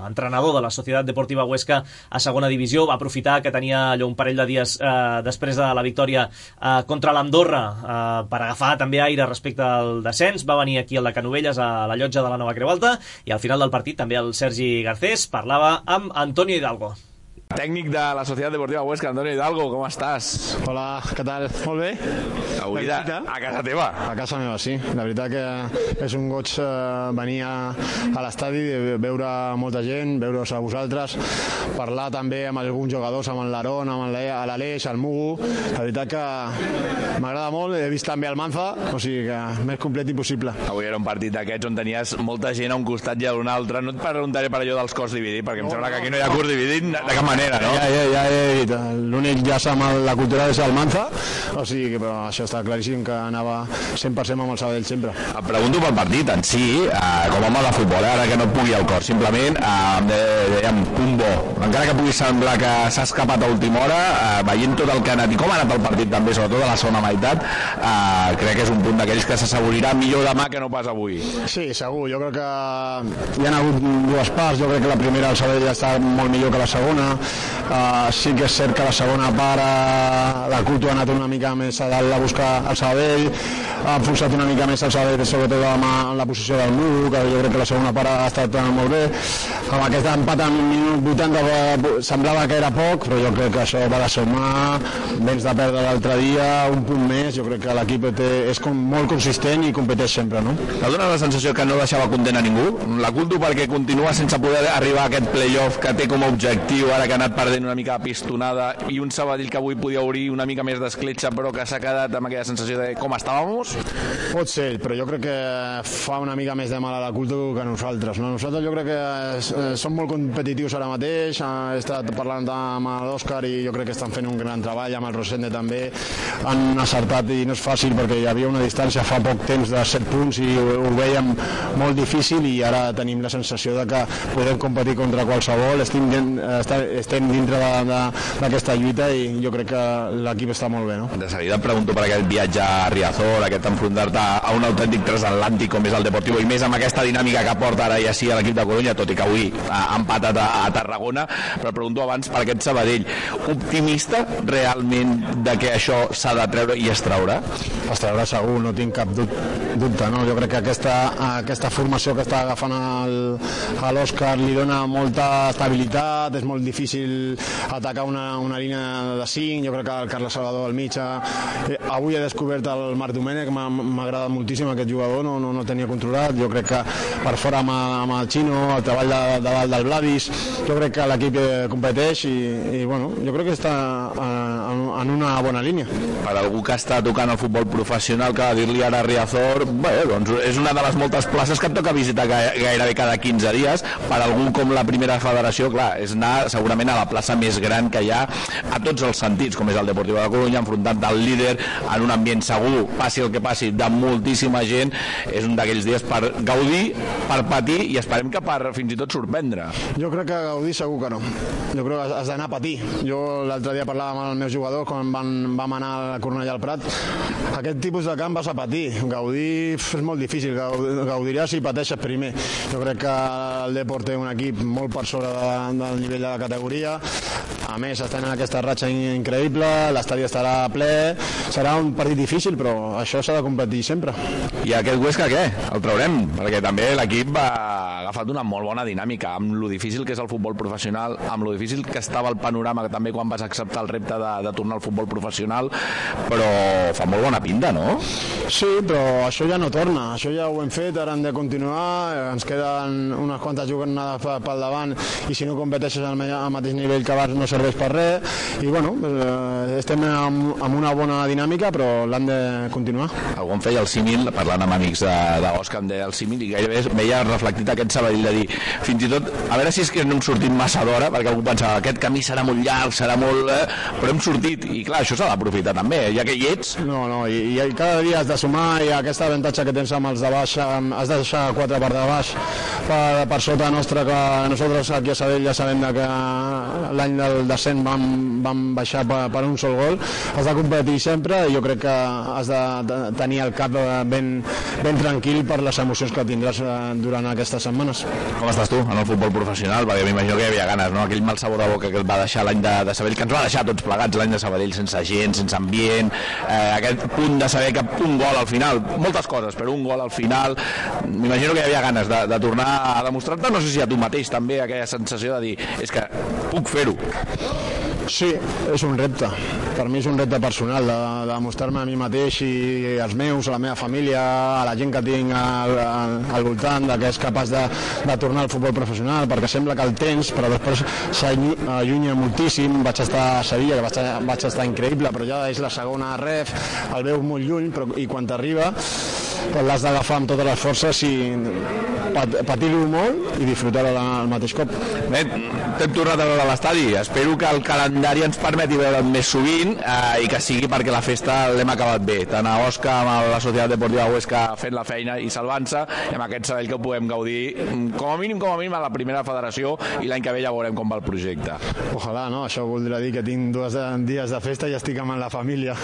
Speaker 2: entrenador de la Societat Deportiva Huesca a segona divisió. Va aprofitar que tenia allò un parell de dies uh, després de la victòria uh, contra l'Andorra uh, per agafar també aire respecte al descens. Va venir aquí al de Canovelles a la llotja de la Nova Creu Alta i al final del partit també el Sergi Garcés parlava amb Antonio Hidalgo.
Speaker 5: Tècnic de la Societat Deportiva Huesca, Antonio Hidalgo, com estàs?
Speaker 11: Hola, què tal? Molt bé.
Speaker 5: Avui de, a casa teva.
Speaker 11: A casa meva, sí. La veritat que és un goig eh, venir a, a l'estadi, veure molta gent, veure-us a vosaltres, parlar també amb alguns jugadors, amb el Larón, amb l'Aleix, el Mugu. La veritat que m'agrada molt. He vist també el Manza, o sigui que més complet impossible.
Speaker 5: Avui era un partit d'aquests on tenies molta gent a un costat i a un altre. No et preguntaré per allò dels cors dividits, perquè em
Speaker 11: no,
Speaker 5: sembla
Speaker 11: no,
Speaker 5: que aquí no hi ha curs dividit de cap manera. No?
Speaker 11: Ja, ja, ja he dit, l'únic ja amb la cultura és el Manza, o sigui que però això està claríssim que anava cent per cent amb el Sabadell sempre.
Speaker 5: Et pregunto pel partit en si, eh, com a home de futbol, eh, ara que no et pugui el cor, simplement eh, dèiem un bo, encara que pugui semblar que s'ha escapat a última hora, eh, veient tot el que ha anat i com ha anat el partit també, sobretot a la segona meitat, eh, crec que és un punt d'aquells que s'assaborirà millor demà que no pas avui.
Speaker 11: Sí, segur, jo crec que hi ha hagut dues parts, jo crec que la primera el Sabadell ja està molt millor que la segona. Uh, sí que és cert que la segona part uh, la Culto ha anat una mica més a dalt a buscar el Sabadell, ha forçat una mica més el Sabadell, sobretot amb, amb la posició del Mugu, que jo crec que la segona part ha estat uh, molt bé. Amb aquest empat en un minut vuitanta uh, semblava que era poc, però jo crec que això va de sumar, vens de perdre l'altre dia, un punt més, jo crec que l'equip és com molt consistent i competeix sempre, no?
Speaker 5: T'ha donat la sensació que no deixava content a ningú? La Culto perquè continua sense poder arribar a aquest playoff que té com a objectiu, ara que ha anat perdent una mica pistonada, i un Sabadell que avui podia obrir una mica més d'escletxa però que s'ha quedat amb aquella sensació de com estàvem?
Speaker 11: Pot ser, però jo crec que fa una mica més de mal a la Culto que a nosaltres, no? Nosaltres jo crec que eh, som molt competitius ara mateix, he estat parlant amb l'Òscar i jo crec que estan fent un gran treball, amb el Rosende també han acertat i no és fàcil perquè hi havia una distància fa poc temps de set punts i ho, ho veiem molt difícil i ara tenim la sensació de que podem competir contra qualsevol, estem, estem dintre d'aquesta lluita i jo crec que l'equip està molt bé, no?
Speaker 5: De seguida et pregunto per aquest viatge a Riazor, aquest enfrontar-te a un autèntic transatlàntic com és el Deportivo i més amb aquesta dinàmica que porta ara ja sí a l'equip de Corunya, tot i que avui ha empatat a, a Tarragona, però pregunto abans per aquest Sabadell, optimista realment de que això s'ha de treure i es traurà?
Speaker 11: Es traurà segur, no tinc cap dubte, no? Jo crec que aquesta, aquesta formació que està agafant el, a l'Òscar li dona molta estabilitat, és molt difícil atacar una, una línia de cinc, jo crec que el Carles Salvador al mig, eh, avui he descobert el Marc Domènech, m'ha agradat moltíssim aquest jugador, no, no, no tenia controlat, jo crec que per fora amb, amb el Xino, el treball de, de dalt del Vladis, jo crec que l'equip competeix i, i bueno, jo crec que està en, en una bona línia.
Speaker 5: Per algú que està tocant el futbol professional, que dir-li ara a Riazor, bé, doncs és una de les moltes places que et toca visitar gairebé cada quinze dies, per algú com la primera federació, clar, és anar segurament a la plaça més gran que hi ha a tots els sentits, com és el Deportiu de Corunya, enfrontant el líder en un ambient segur, passi el que passi, de moltíssima gent. És un d'aquells dies per gaudir, per patir i esperem que per fins i tot sorprendre.
Speaker 11: Jo crec que gaudir segur que no. Jo crec que has d'anar a patir. Jo l'altre dia parlava amb els meus jugadors quan van, vam anar a Cornellà al Prat. Aquest tipus de camp vas a patir. Gaudir és molt difícil, gaudiràs si pateixes primer. Jo crec que el Deport té un equip molt per sobre de, del nivell de la categoria. A més, estan en aquesta ratxa increïble, l'estadi estarà ple, serà un partit difícil, però això s'ha de competir sempre.
Speaker 5: I aquest Huesca què? El traurem? Perquè també l'equip va agafat una molt bona dinàmica, amb lo difícil que és el futbol professional, amb lo difícil que estava el panorama també quan vas acceptar el repte de, de tornar al futbol professional, però fa molt bona pinta, no?
Speaker 11: Sí, però això ja no torna, això ja ho hem fet, ara hem de continuar, ens queden unes quantes jornades pel davant i si no competeixes al mateix nivell que abans no serveix per res i bueno, estem amb, amb una bona dinàmica però l'hem de continuar.
Speaker 5: Algú em feia el símil, parlant amb amics d'Òscar, em deia el símil i gairebé veia reflectit aquest Sabadell de dir, fins i tot, a veure si és que no hem sortit massa d'hora, perquè algú pensava aquest camí serà molt llarg, serà molt... Eh, però hem sortit i clar, això s'ha d'aprofitar també, ja que hi ets.
Speaker 11: No, no, i, i cada dia has de sumar i aquesta avantatge que tens amb els de baix, has de deixar quatre per de baix per, per sota nostra, que nosaltres aquí a Sabadell ja sabem que l'any del descens vam, vam baixar per, per un sol gol. Has de competir sempre i jo crec que has de, de tenir el cap ben, ben tranquil per les emocions que tindràs durant aquestes setmanes.
Speaker 5: Com estàs tu en el futbol professional? Perquè m'imagino que hi havia ganes, no? Aquell mal sabor de boca que et va deixar l'any de, de Sabadell, que ens va deixar tots plegats l'any de Sabadell, sense gent, sense ambient, eh, aquest punt de saber que un gol al final, moltes coses, però un gol al final, m'imagino que hi havia ganes de, de tornar a demostrar-te, no sé si a tu mateix també, aquella sensació de dir, és que puc fer-ho.
Speaker 11: Sí, és un repte. Per mi és un repte personal de, de demostrar-me a mi mateix i als meus, a la meva família, a la gent que tinc al, al, al voltant, de que és capaç de, de tornar al futbol professional, perquè sembla que el tens, però després s'allunya moltíssim. Vaig estar a Sevilla, que vaig, vaig estar increïble, però ja és la segona ref, el veus molt lluny, però, i quan t'arriba l'has d'agafar amb totes les forces i pat, patir-ho molt i disfrutar-ho al mateix cop.
Speaker 5: Bé, t'hem tornat a veure a l'estadi. Espero que el calendari ens permeti veure't més sovint eh, i que sigui perquè la festa l'hem acabat bé. Tant a Osca, amb la Societat Deportiva Huesca fent la feina i salvant-se, i amb aquest Sabadell que ho puguem gaudir com a mínim, com a mínim a la primera federació, i l'any que ve ja veurem com va el projecte.
Speaker 11: Ojalà, no? Això voldrà dir que tinc dos dies de festa i estic amb la família.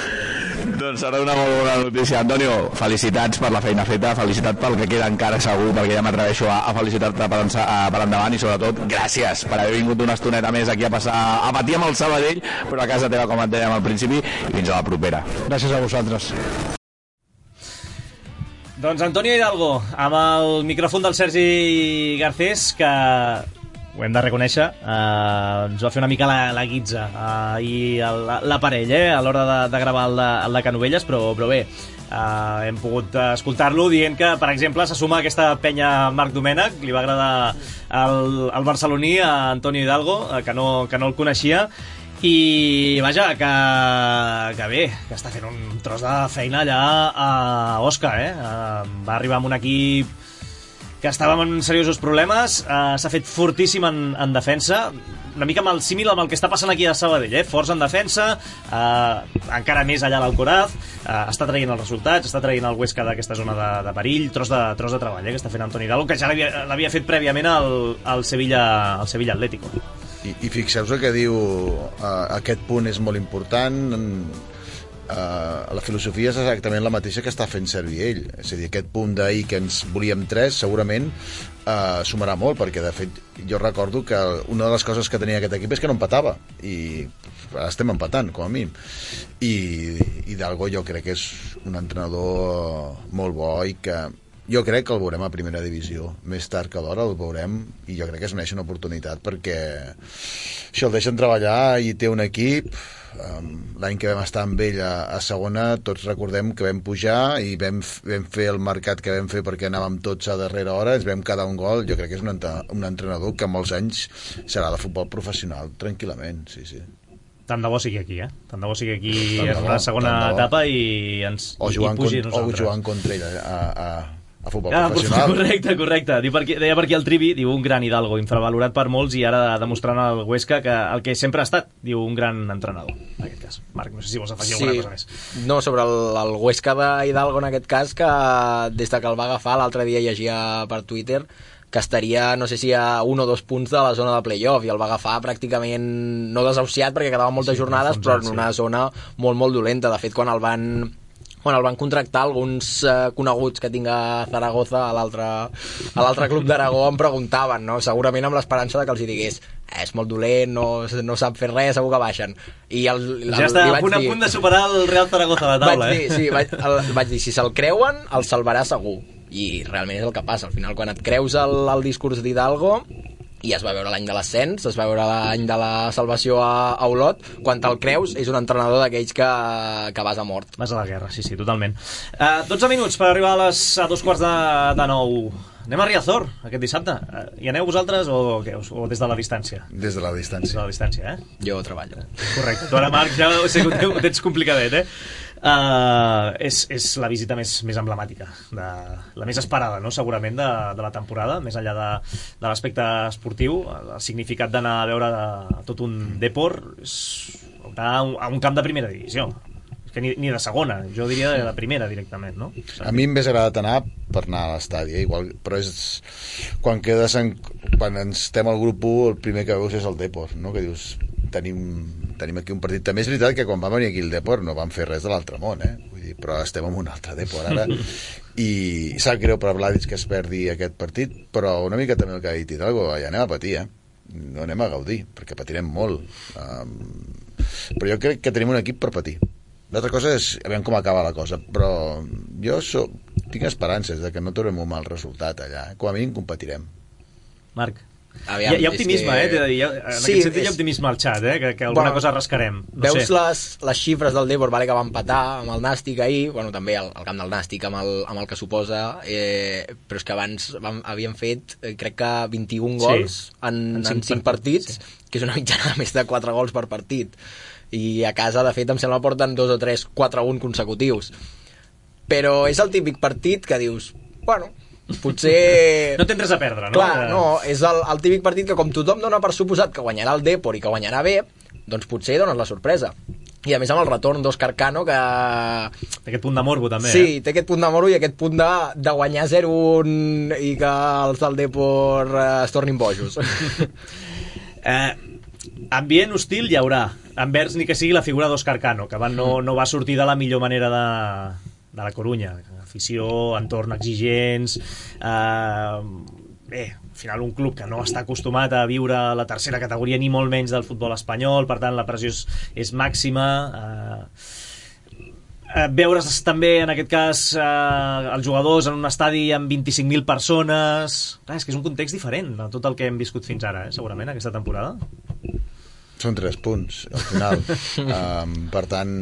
Speaker 5: Doncs serà una molt bona notícia. Antonio, felicitats per la feina feta, felicitat pel que queda encara segur, perquè ja m'atreveixo a, a felicitar-te per, per endavant, i sobretot gràcies per haver vingut una estoneta més aquí a passar a patir amb el Sabadell, però a casa teva, com et dèiem al principi, i fins a la propera.
Speaker 11: Gràcies a vosaltres.
Speaker 2: Doncs Antonio Hidalgo, amb el micròfon del Sergi Garcés, que ho hem de reconèixer, eh, ens va fer una mica la, la guitza eh, i l'aparell eh, a l'hora de, de gravar el de, el de Canovelles, però, però bé, eh, hem pogut escoltar-lo dient que, per exemple, se suma a aquesta penya Marc Domènech, li va agradar el, el barceloní a Antonio Hidalgo, eh, que, no, que no el coneixia, i vaja, que, que bé, que està fent un tros de feina allà a Osca, eh? eh va arribar amb un equip que estàvem en seriosos problemes, eh, s'ha fet fortíssim en, en defensa, una mica amb el símil amb el que està passant aquí a Sabadell, eh? Forts en defensa, eh, encara més allà a l'Alcoraz, eh, està traient els resultats, està traient el Huesca d'aquesta zona de, de perill, tros de, tros de treball eh, que està fent Antoni Hidalgo, que ja l'havia fet prèviament al, al Sevilla, al Sevilla Atlético.
Speaker 3: I, i fixeu-vos que diu uh, aquest punt és molt important, uh, la filosofia és exactament la mateixa que està fent servir ell, és a dir, aquest punt d'ahir que ens volíem tres segurament uh, sumarà molt, perquè de fet jo recordo que una de les coses que tenia aquest equip és que no empatava, i estem empatant com a mínim, i Hidalgo jo crec que és un entrenador molt bo i que jo crec que el veurem a primera divisió més tard que d'hora, el veurem, i jo crec que es mereix una oportunitat, perquè si el deixen treballar i té un equip, um, l'any que vam estar amb ell a, a segona, tots recordem que vam pujar i vam, vam fer el mercat que vam fer perquè anàvem tots a darrera hora, ens vam quedar un gol. Jo crec que és un, un entrenador que molts anys serà de futbol professional tranquil·lament, sí, sí.
Speaker 2: Tant de bo sigui aquí, eh? Tant de bo sigui aquí en la segona etapa i ens
Speaker 3: o jugant,
Speaker 2: i pugi
Speaker 3: con, o jugant contra ell a, a, a futbol
Speaker 2: ah,
Speaker 3: professional.
Speaker 2: Correcte, correcte. Diu per aquí, deia per aquí el Trivi, diu un gran Hidalgo, infravalorat per molts i ara demostrant al Huesca que el que sempre ha estat, diu un gran entrenador, en aquest cas. Marc, no sé si vols afegir sí. alguna cosa més.
Speaker 4: No, sobre el, el Huesca d'Hidalgo en aquest cas, que des de que el va agafar l'altre dia llegia per Twitter que estaria, no sé si a un o dos punts de la zona de playoff, i el va agafar pràcticament no desahuciat perquè quedaven moltes sí, jornades, però en una sí. zona molt, molt dolenta. De fet, quan el van quan el van contractar, alguns eh, coneguts que tinc a Zaragoza, a l'altre club d'Aragó, em preguntaven, no? Segurament amb l'esperança de que els hi digués eh, és molt dolent, no, no sap fer res, segur que baixen. I el, el,
Speaker 2: ja està a punt, dir, a punt de superar el Real Zaragoza a la taula.
Speaker 4: Vaig dir,
Speaker 2: eh?
Speaker 4: sí, vaig, el, vaig dir, si se'l creuen, el salvarà segur. I realment és el que passa. Al final, quan et creus el, el discurs d'Hidalgo, i es va veure l'any de l'ascens, es va veure l'any de la salvació a, a Olot, quan te'l creus és un entrenador d'aquells que, que vas a mort.
Speaker 2: Vas a la guerra, sí, sí, totalment. Uh, dotze minuts per arribar a, les, a dos quarts de, de nou. Anem a Riazor aquest dissabte. Uh, hi aneu vosaltres o, què, o des de la distància?
Speaker 3: Des de la distància.
Speaker 2: Des de la distància, eh?
Speaker 4: Jo treballo.
Speaker 2: Correcte. Tu ara, Marc, ja sé que ho tens complicadet, eh? Uh, és, és la visita més, més emblemàtica, de, la més esperada, no? Segurament de, de la temporada, més enllà de, de l'aspecte esportiu. El significat d'anar a veure de, tot un deport és anar a un, a un camp de primera divisió. que ni, ni de segona, jo diria de la primera directament, no?
Speaker 3: A mi m'hagués agradat anar per anar a l'estadi, eh? Igual, però és quan quedes en, quan ens estem al grup u, el primer que veus és el Depor, no? Que dius, tenim, tenim aquí un partit. També és veritat que quan va venir aquí el Depor no van fer res de l'altre món, eh? Vull dir, però estem en un altre Depor ara i sap greu per a Vladic que es perdi aquest partit, però una mica també el que ha dit Hidalgo, ja anem a patir, eh? No anem a gaudir, perquè patirem molt. Um, però jo crec que tenim un equip per patir. L'altra cosa és, aviam com acaba la cosa, però jo soc, tinc esperances de que no trobarem un mal resultat allà, eh? Com a mínim competirem.
Speaker 2: Marc?
Speaker 4: Aviam,
Speaker 2: hi, ha, hi ha optimisme, que... eh? Hi ha, en sí, aquest sentit és... hi ha optimisme al xat, eh? Que, que alguna bueno, cosa rascarem. No
Speaker 4: veus
Speaker 2: sé.
Speaker 4: les, les xifres del Depor, vale, que van empatar amb el Nàstic ahir, bueno, també el, el camp del Nàstic amb el, amb el que suposa, eh, però és que abans vam, havien fet, eh, crec que vint-i-un gols sí, en, en cinc, cinc partits, sí. Que és una mitjana de més de quatre gols per partit. I a casa, de fet, em sembla porten dos o tres quatre a un consecutius. Però és el típic partit que dius, bueno... potser...
Speaker 2: No tens res a perdre, no?
Speaker 4: Clar, no, és el, el típic partit que com tothom dona per suposat que guanyarà el Depor i que guanyarà bé, doncs potser dones la sorpresa. I a més amb el retorn d'Òscar Cano, que...
Speaker 2: Té aquest punt de morbo també,
Speaker 4: sí,
Speaker 2: eh?
Speaker 4: té aquest punt de morbo i aquest punt de, de guanyar zero un i que els del Depor eh, es tornin bojos.
Speaker 2: eh, ambient hostil hi haurà, envers ni que sigui la figura d'Òscar Cano, que van, no, no va sortir de la millor manera de, de la Corunya. Afició, entorn exigents, eh, bé, al final un club que no està acostumat a viure la tercera categoria ni molt menys del futbol espanyol, per tant la pressió és, és màxima. Eh, eh, veure's també en aquest cas eh, els jugadors en un estadi amb vint-i-cinc mil persones, clar, és que és un context diferent a tot el que hem viscut fins ara, eh, segurament aquesta temporada.
Speaker 3: Són tres punts al final. um, per tant,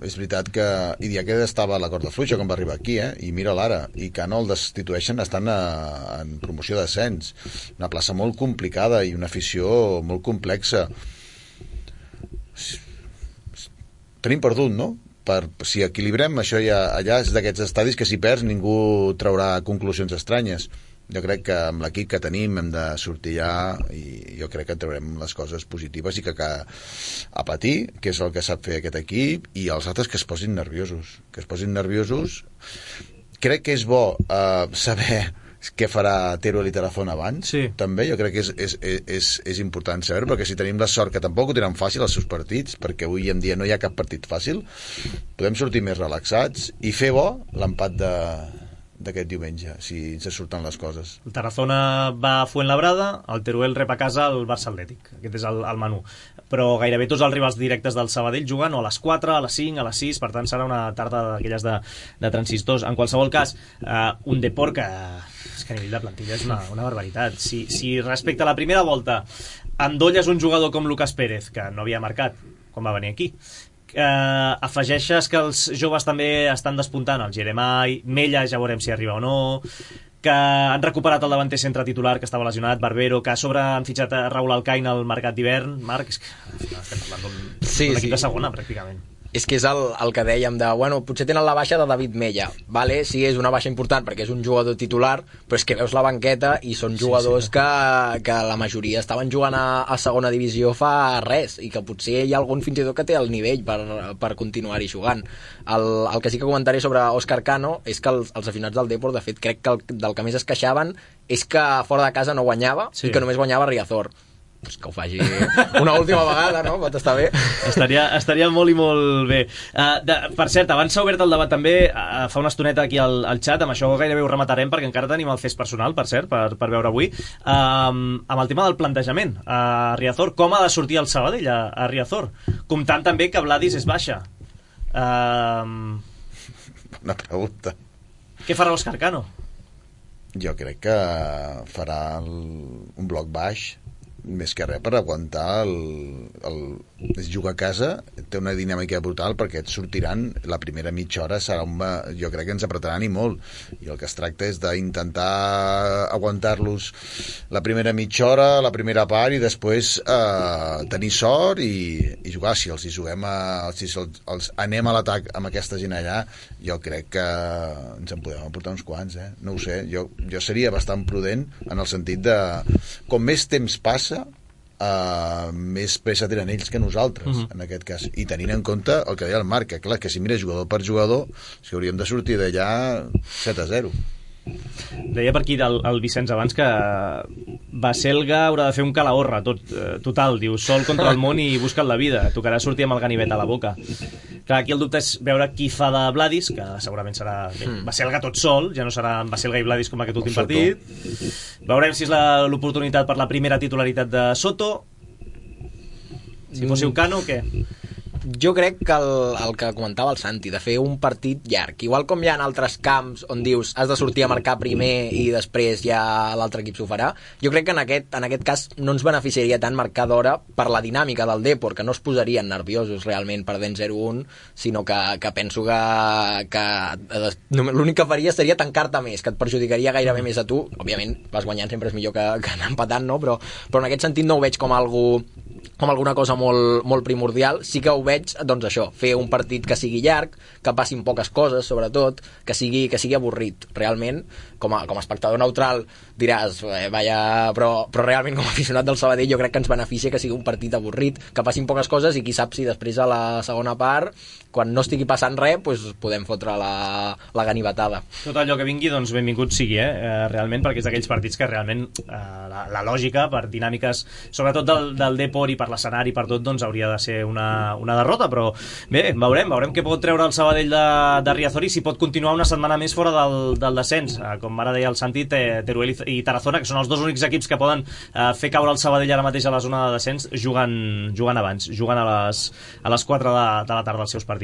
Speaker 3: és veritat que i Diaquet estava a la corda fluixa quan va arribar aquí, eh? I mira l'ara, i Cano el destitueixen estant a, en promoció d'ascens, una plaça molt complicada i una afició molt complexa. Tenim perdut, no? Per, si equilibrem això ja, allà és d'aquests estadis que si perds ningú traurà conclusions estranyes. Jo crec que amb l'equip que tenim hem de sortir ja i jo crec que traurem les coses positives i que, que a patir, que és el que sap fer aquest equip, i els altres que es posin nerviosos que es posin nerviosos. Crec que és bo eh, saber què farà Teruel i Tarazona abans, sí. També jo crec que és, és, és, és important saber, perquè si tenim la sort que tampoc ho tenen fàcil els seus partits, perquè avui en dia no hi ha cap partit fàcil, podem sortir més relaxats i fer bo l'empat de d'aquest diumenge, si ens surten les coses.
Speaker 2: El Tarazona va a Fuenlabrada, el Teruel rep a casa el Barça Atlètic. Aquest és el, el menú. Però gairebé tots els rivals directes del Sabadell juguen o a les quatre, a les cinc, a les sis, per tant serà una tarda d'aquelles de, de transistors. En qualsevol cas, eh, un Depor que, és que a nivell de plantilla és una, una barbaritat. Si, si respecte a la primera volta endolles un jugador com Lucas Pérez, que no havia marcat quan va venir aquí, Uh, afegeixes que els joves també estan despuntant, el Jeremai, Mella ja veurem si arriba o no, que han recuperat el davanter centre titular que estava lesionat, Barbero, que a sobre han fitxat a Raúl Alcaine al mercat d'hivern. Marc, és que al final estem parlant d'un
Speaker 4: sí,
Speaker 2: equip
Speaker 4: sí.
Speaker 2: de segona pràcticament.
Speaker 4: És que és el, el que dèiem de, bueno, potser tenen la baixa de David Mella, vale? Sí, és una baixa important perquè és un jugador titular, però és que veus la banqueta i són jugadors sí, sí. Que, que la majoria estaven jugant a, a segona divisió fa res, i que potser hi ha algun fins i tot que té el nivell per, per continuar-hi jugant. El, el que sí que comentaré sobre Òscar Cano és que els, els aficionats del Depor, de fet, crec que el, del que més es queixaven és que fora de casa no guanyava, sí. I que només guanyava Riazor. Pues que ho faci una última vegada, no? Pot estar bé.
Speaker 2: Estaria, estaria molt i molt bé. Uh, de, per cert, abans s'ha obert el debat també, uh, fa una estoneta aquí al, al xat, amb això gairebé ho rematarem perquè encara tenim el fes personal, per cert, per, per veure avui, uh, amb el tema del plantejament. A Riazor, com ha de sortir el Sabadell a, a Riazor? Comptant també que Vladis és baixa. Uh,
Speaker 3: una pregunta.
Speaker 2: Què farà l'Òscar Cano?
Speaker 3: Jo crec que farà el, un bloc baix, més que res per aguantar el, el, el jugar a casa. Té una dinàmica brutal perquè et sortiran la primera mitja hora serà un, jo crec que ens apretaran i molt, i el que es tracta és d'intentar aguantar-los la primera mitja hora, la primera part, i després eh, tenir sort i, i jugar. Si els hi juguem a, si els, els anem a l'atac amb aquesta gent allà, jo crec que ens en podem aportar uns quants, eh? No ho sé, jo, jo seria bastant prudent en el sentit de com més temps passa uh, més pressa tenen ells que nosaltres, uh-huh. en aquest cas, i tenint en compte el que deia el Marc, que clar, que si mires jugador per jugador, si hauríem de sortir d'allà set a zero.
Speaker 2: Deia per aquí el, el Vicenç abans que Baselga haurà de fer un calahorra tot, eh, total, diu, sol contra el món i busca't la vida, tocarà sortir amb el ganivet a la boca. Clar, aquí el dubte és veure qui fa de Vladis, que segurament serà bé, Baselga tot sol, ja no serà Baselga i Vladis com aquest últim partit. Veurem si és la, l'oportunitat per la primera titularitat de Soto, si fóssiu Cano o què?
Speaker 4: Jo crec que el, el que comentava el Santi, de fer un partit llarg, igual com hi ha en altres camps on dius has de sortir a marcar primer i després ja l'altre equip s'ho farà, jo crec que en aquest, en aquest cas no ens beneficiaria tant marcar d'hora per la dinàmica del Depor, que no es posarien nerviosos realment perdent zero un, sinó que, que penso que, que l'únic que faria seria tancar-te més, que et perjudicaria gairebé més a tu. Òbviament vas guanyant sempre és millor que, que anar empatant, no? però, però en aquest sentit no ho veig com algú com alguna cosa molt, molt primordial. Sí que ho veig, doncs això, fer un partit que sigui llarg, que passin poques coses, sobretot, que sigui, que sigui avorrit. Realment, com a, com a espectador neutral, diràs, eh, vaya, però, però realment com a aficionat del Sabadell jo crec que ens beneficia que sigui un partit avorrit, que passin poques coses i qui sap si després a la segona part, quan no estigui passant res, pues, podem fotre la, la ganivetada.
Speaker 2: Tot allò que vingui, doncs benvingut sigui, eh? Realment, perquè és d'aquells partits que realment eh, la, la lògica per dinàmiques, sobretot del, del Depor i per l'escenari, per tot, doncs hauria de ser una, una derrota, però bé, veurem, veurem què pot treure el Sabadell de, de Riazor i si pot continuar una setmana més fora del, del descens, eh, com ara deia el Santi, Teruel i Tarazona, que són els dos únics equips que poden eh, fer caure el Sabadell ara mateix a la zona de descens, jugant, jugant abans, jugant a les, a les quatre de, de la tarda els seus partits.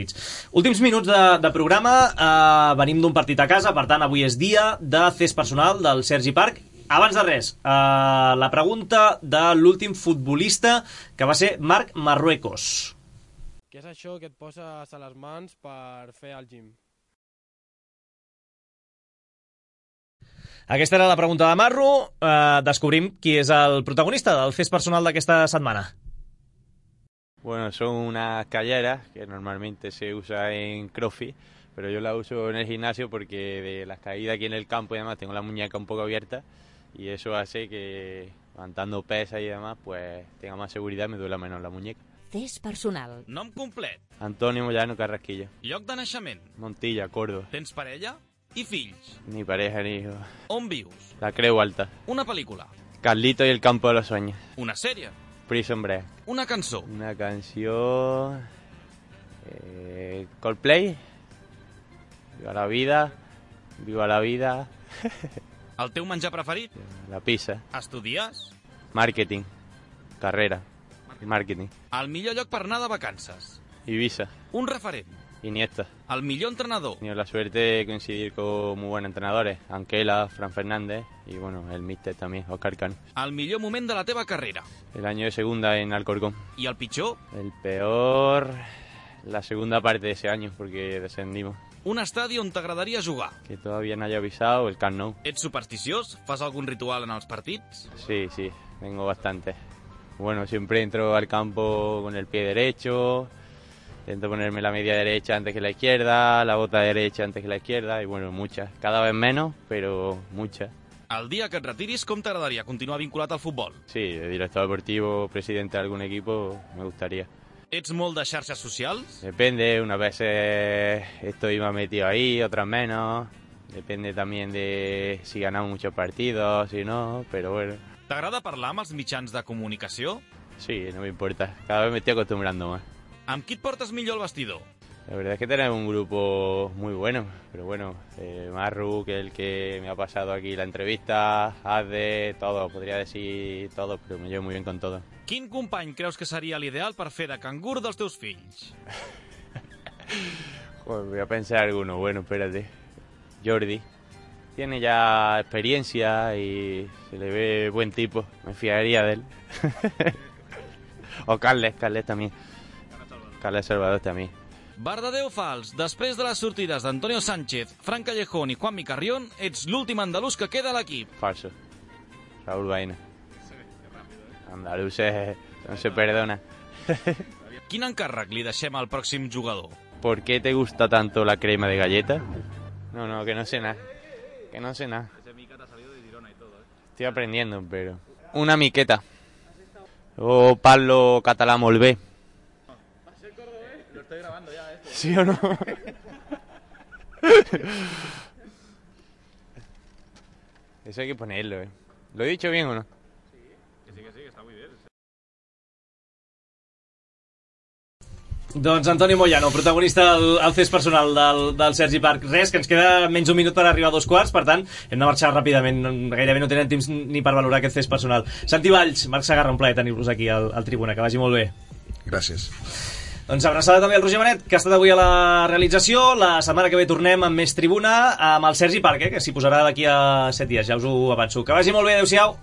Speaker 2: Últims minuts de, de programa, eh, venim d'un partit a casa, per tant avui és dia de cés personal del Sergi Parc. Abans de res, eh, la pregunta de l'últim futbolista, que va ser Marc Marruecos.
Speaker 12: Què és això que et poses a les mans per fer el gym?
Speaker 2: Aquesta era la pregunta de Marro. Eh, descobrim qui és el protagonista del fes personal d'aquesta setmana.
Speaker 13: Bueno, son unas calleras que normalmente se usa en CrossFit, pero yo la uso en el gimnasio porque de las caídas aquí en el campo y demás tengo la muñeca un poco abierta y eso hace que levantando pesas y demás pues tenga más seguridad y me duela menos la muñeca.
Speaker 1: Test personal.
Speaker 7: Nom complet.
Speaker 13: Antonio Moyano Carrasquillo.
Speaker 7: Lloc de naixement.
Speaker 13: Montilla, Córdoba.
Speaker 7: Tens parella i fills.
Speaker 13: Ni pareja ni hijo.
Speaker 7: On vius?
Speaker 13: La Creu Alta.
Speaker 7: Una pel·lícula.
Speaker 13: Carlito y el campo de los sueños.
Speaker 7: Una sèrie.
Speaker 13: Prison Break.
Speaker 7: Una cançó.
Speaker 13: Una canción... Eh, Coldplay. Viva la vida. Viva la vida.
Speaker 7: El teu menjar preferit?
Speaker 13: La pizza.
Speaker 7: Estudies?
Speaker 13: Marketing. Carrera. Marketing.
Speaker 7: El millor lloc per anar de vacances?
Speaker 13: Ibiza.
Speaker 7: Un referent?
Speaker 13: Iniesta.
Speaker 7: El millor entrenador?
Speaker 13: He tenido la suerte de coincidir con muy buenos entrenadores. Anquela, Fran Fernández y bueno, el míster también, Óscar Cano.
Speaker 7: El millor moment de la teva carrera?
Speaker 13: El año de segunda en Alcorcón.
Speaker 7: ¿Y el pitjor?
Speaker 13: El peor... La segunda parte de ese año, porque descendimos.
Speaker 7: Un estadi on t'agradaria jugar?
Speaker 13: Que todavía no haya avisado, el Camp Nou.
Speaker 7: Ets supersticiós? Fas algun ritual en els partits?
Speaker 13: Sí, sí, tengo bastante. Bueno, siempre entro al campo con el pie derecho, intento ponerme la media derecha antes que la izquierda, la bota derecha antes que la izquierda, y bueno, muchas. Cada vez menos, pero muchas.
Speaker 7: El dia que et retiris, com t'agradaria continuar vinculat al futbol?
Speaker 13: Sí, de director deportivo, presidente de algún equipo, me gustaría.
Speaker 7: Ets molt de xarxes socials?
Speaker 13: Depende, unas veces estoy más metido ahí, otras menos. Depende también de si ganamos muchos partidos, si no, pero bueno.
Speaker 7: T'agrada parlar amb els mitjans de comunicació?
Speaker 13: Sí, no me importa. Cada vez me estoy acostumbrando más.
Speaker 7: Amb qui et portes millor al vestidor?
Speaker 13: La verdad es que tenemos un grupo muy bueno, pero bueno, eh, Marru, que es el que me ha pasado aquí la entrevista, Azde, todo, podría decir todo, pero me llevo muy bien con todo.
Speaker 7: Quin company creus que seria l'ideal per fer de cangur dels teus fills?
Speaker 13: Joder, voy a pensar alguno, bueno, espérate. Jordi. Tiene ya experiencia y se le ve buen tipo, me fiaría de él. O Carles, Carles también. Carles Salvador también.
Speaker 7: Verdadeu o fals, després de les sortides d'Antonio Sánchez, Fran Callejón i Juanmi Carrión, ets l'últim andalús que queda a l'equip.
Speaker 13: Falso. Raúl Baena. Andaluces no se perdona.
Speaker 7: Quin encàrrec li deixem al pròxim jugador?
Speaker 13: ¿Por qué te gusta tanto la crema de galleta? No, no, que no sé nada. Que no sé nada. Estoy aprendiendo, pero... Una miqueta. O parlo català molt bé.
Speaker 5: Lo estoy grabando ya, esto. ¿Sí o no?
Speaker 13: Eso hay que ponerlo, ¿eh? ¿Lo he dicho bien o no?
Speaker 5: Que sí, que sí, que está muy bien.
Speaker 2: Doncs Antonio Moyano, protagonista del, del fes personal del, del Sergi Parc. Res, que ens queda menys un minut per arribar a dos quarts, per tant, hem de marxar ràpidament. Gairebé no tenen temps ni per valorar aquest fes personal. Santi Valls, Marc Sagarra, un plaer tenir-vos aquí al, al Tribuna, que vagi molt bé.
Speaker 3: Gràcies.
Speaker 2: Doncs abraçada també al Roger Benet, que ha estat avui a la realització. La setmana que ve tornem amb més Tribuna, amb el Sergi Parc, eh, que s'hi posarà d'aquí a set dies, ja us ho avanço. Que vagi molt bé, adeu-siau.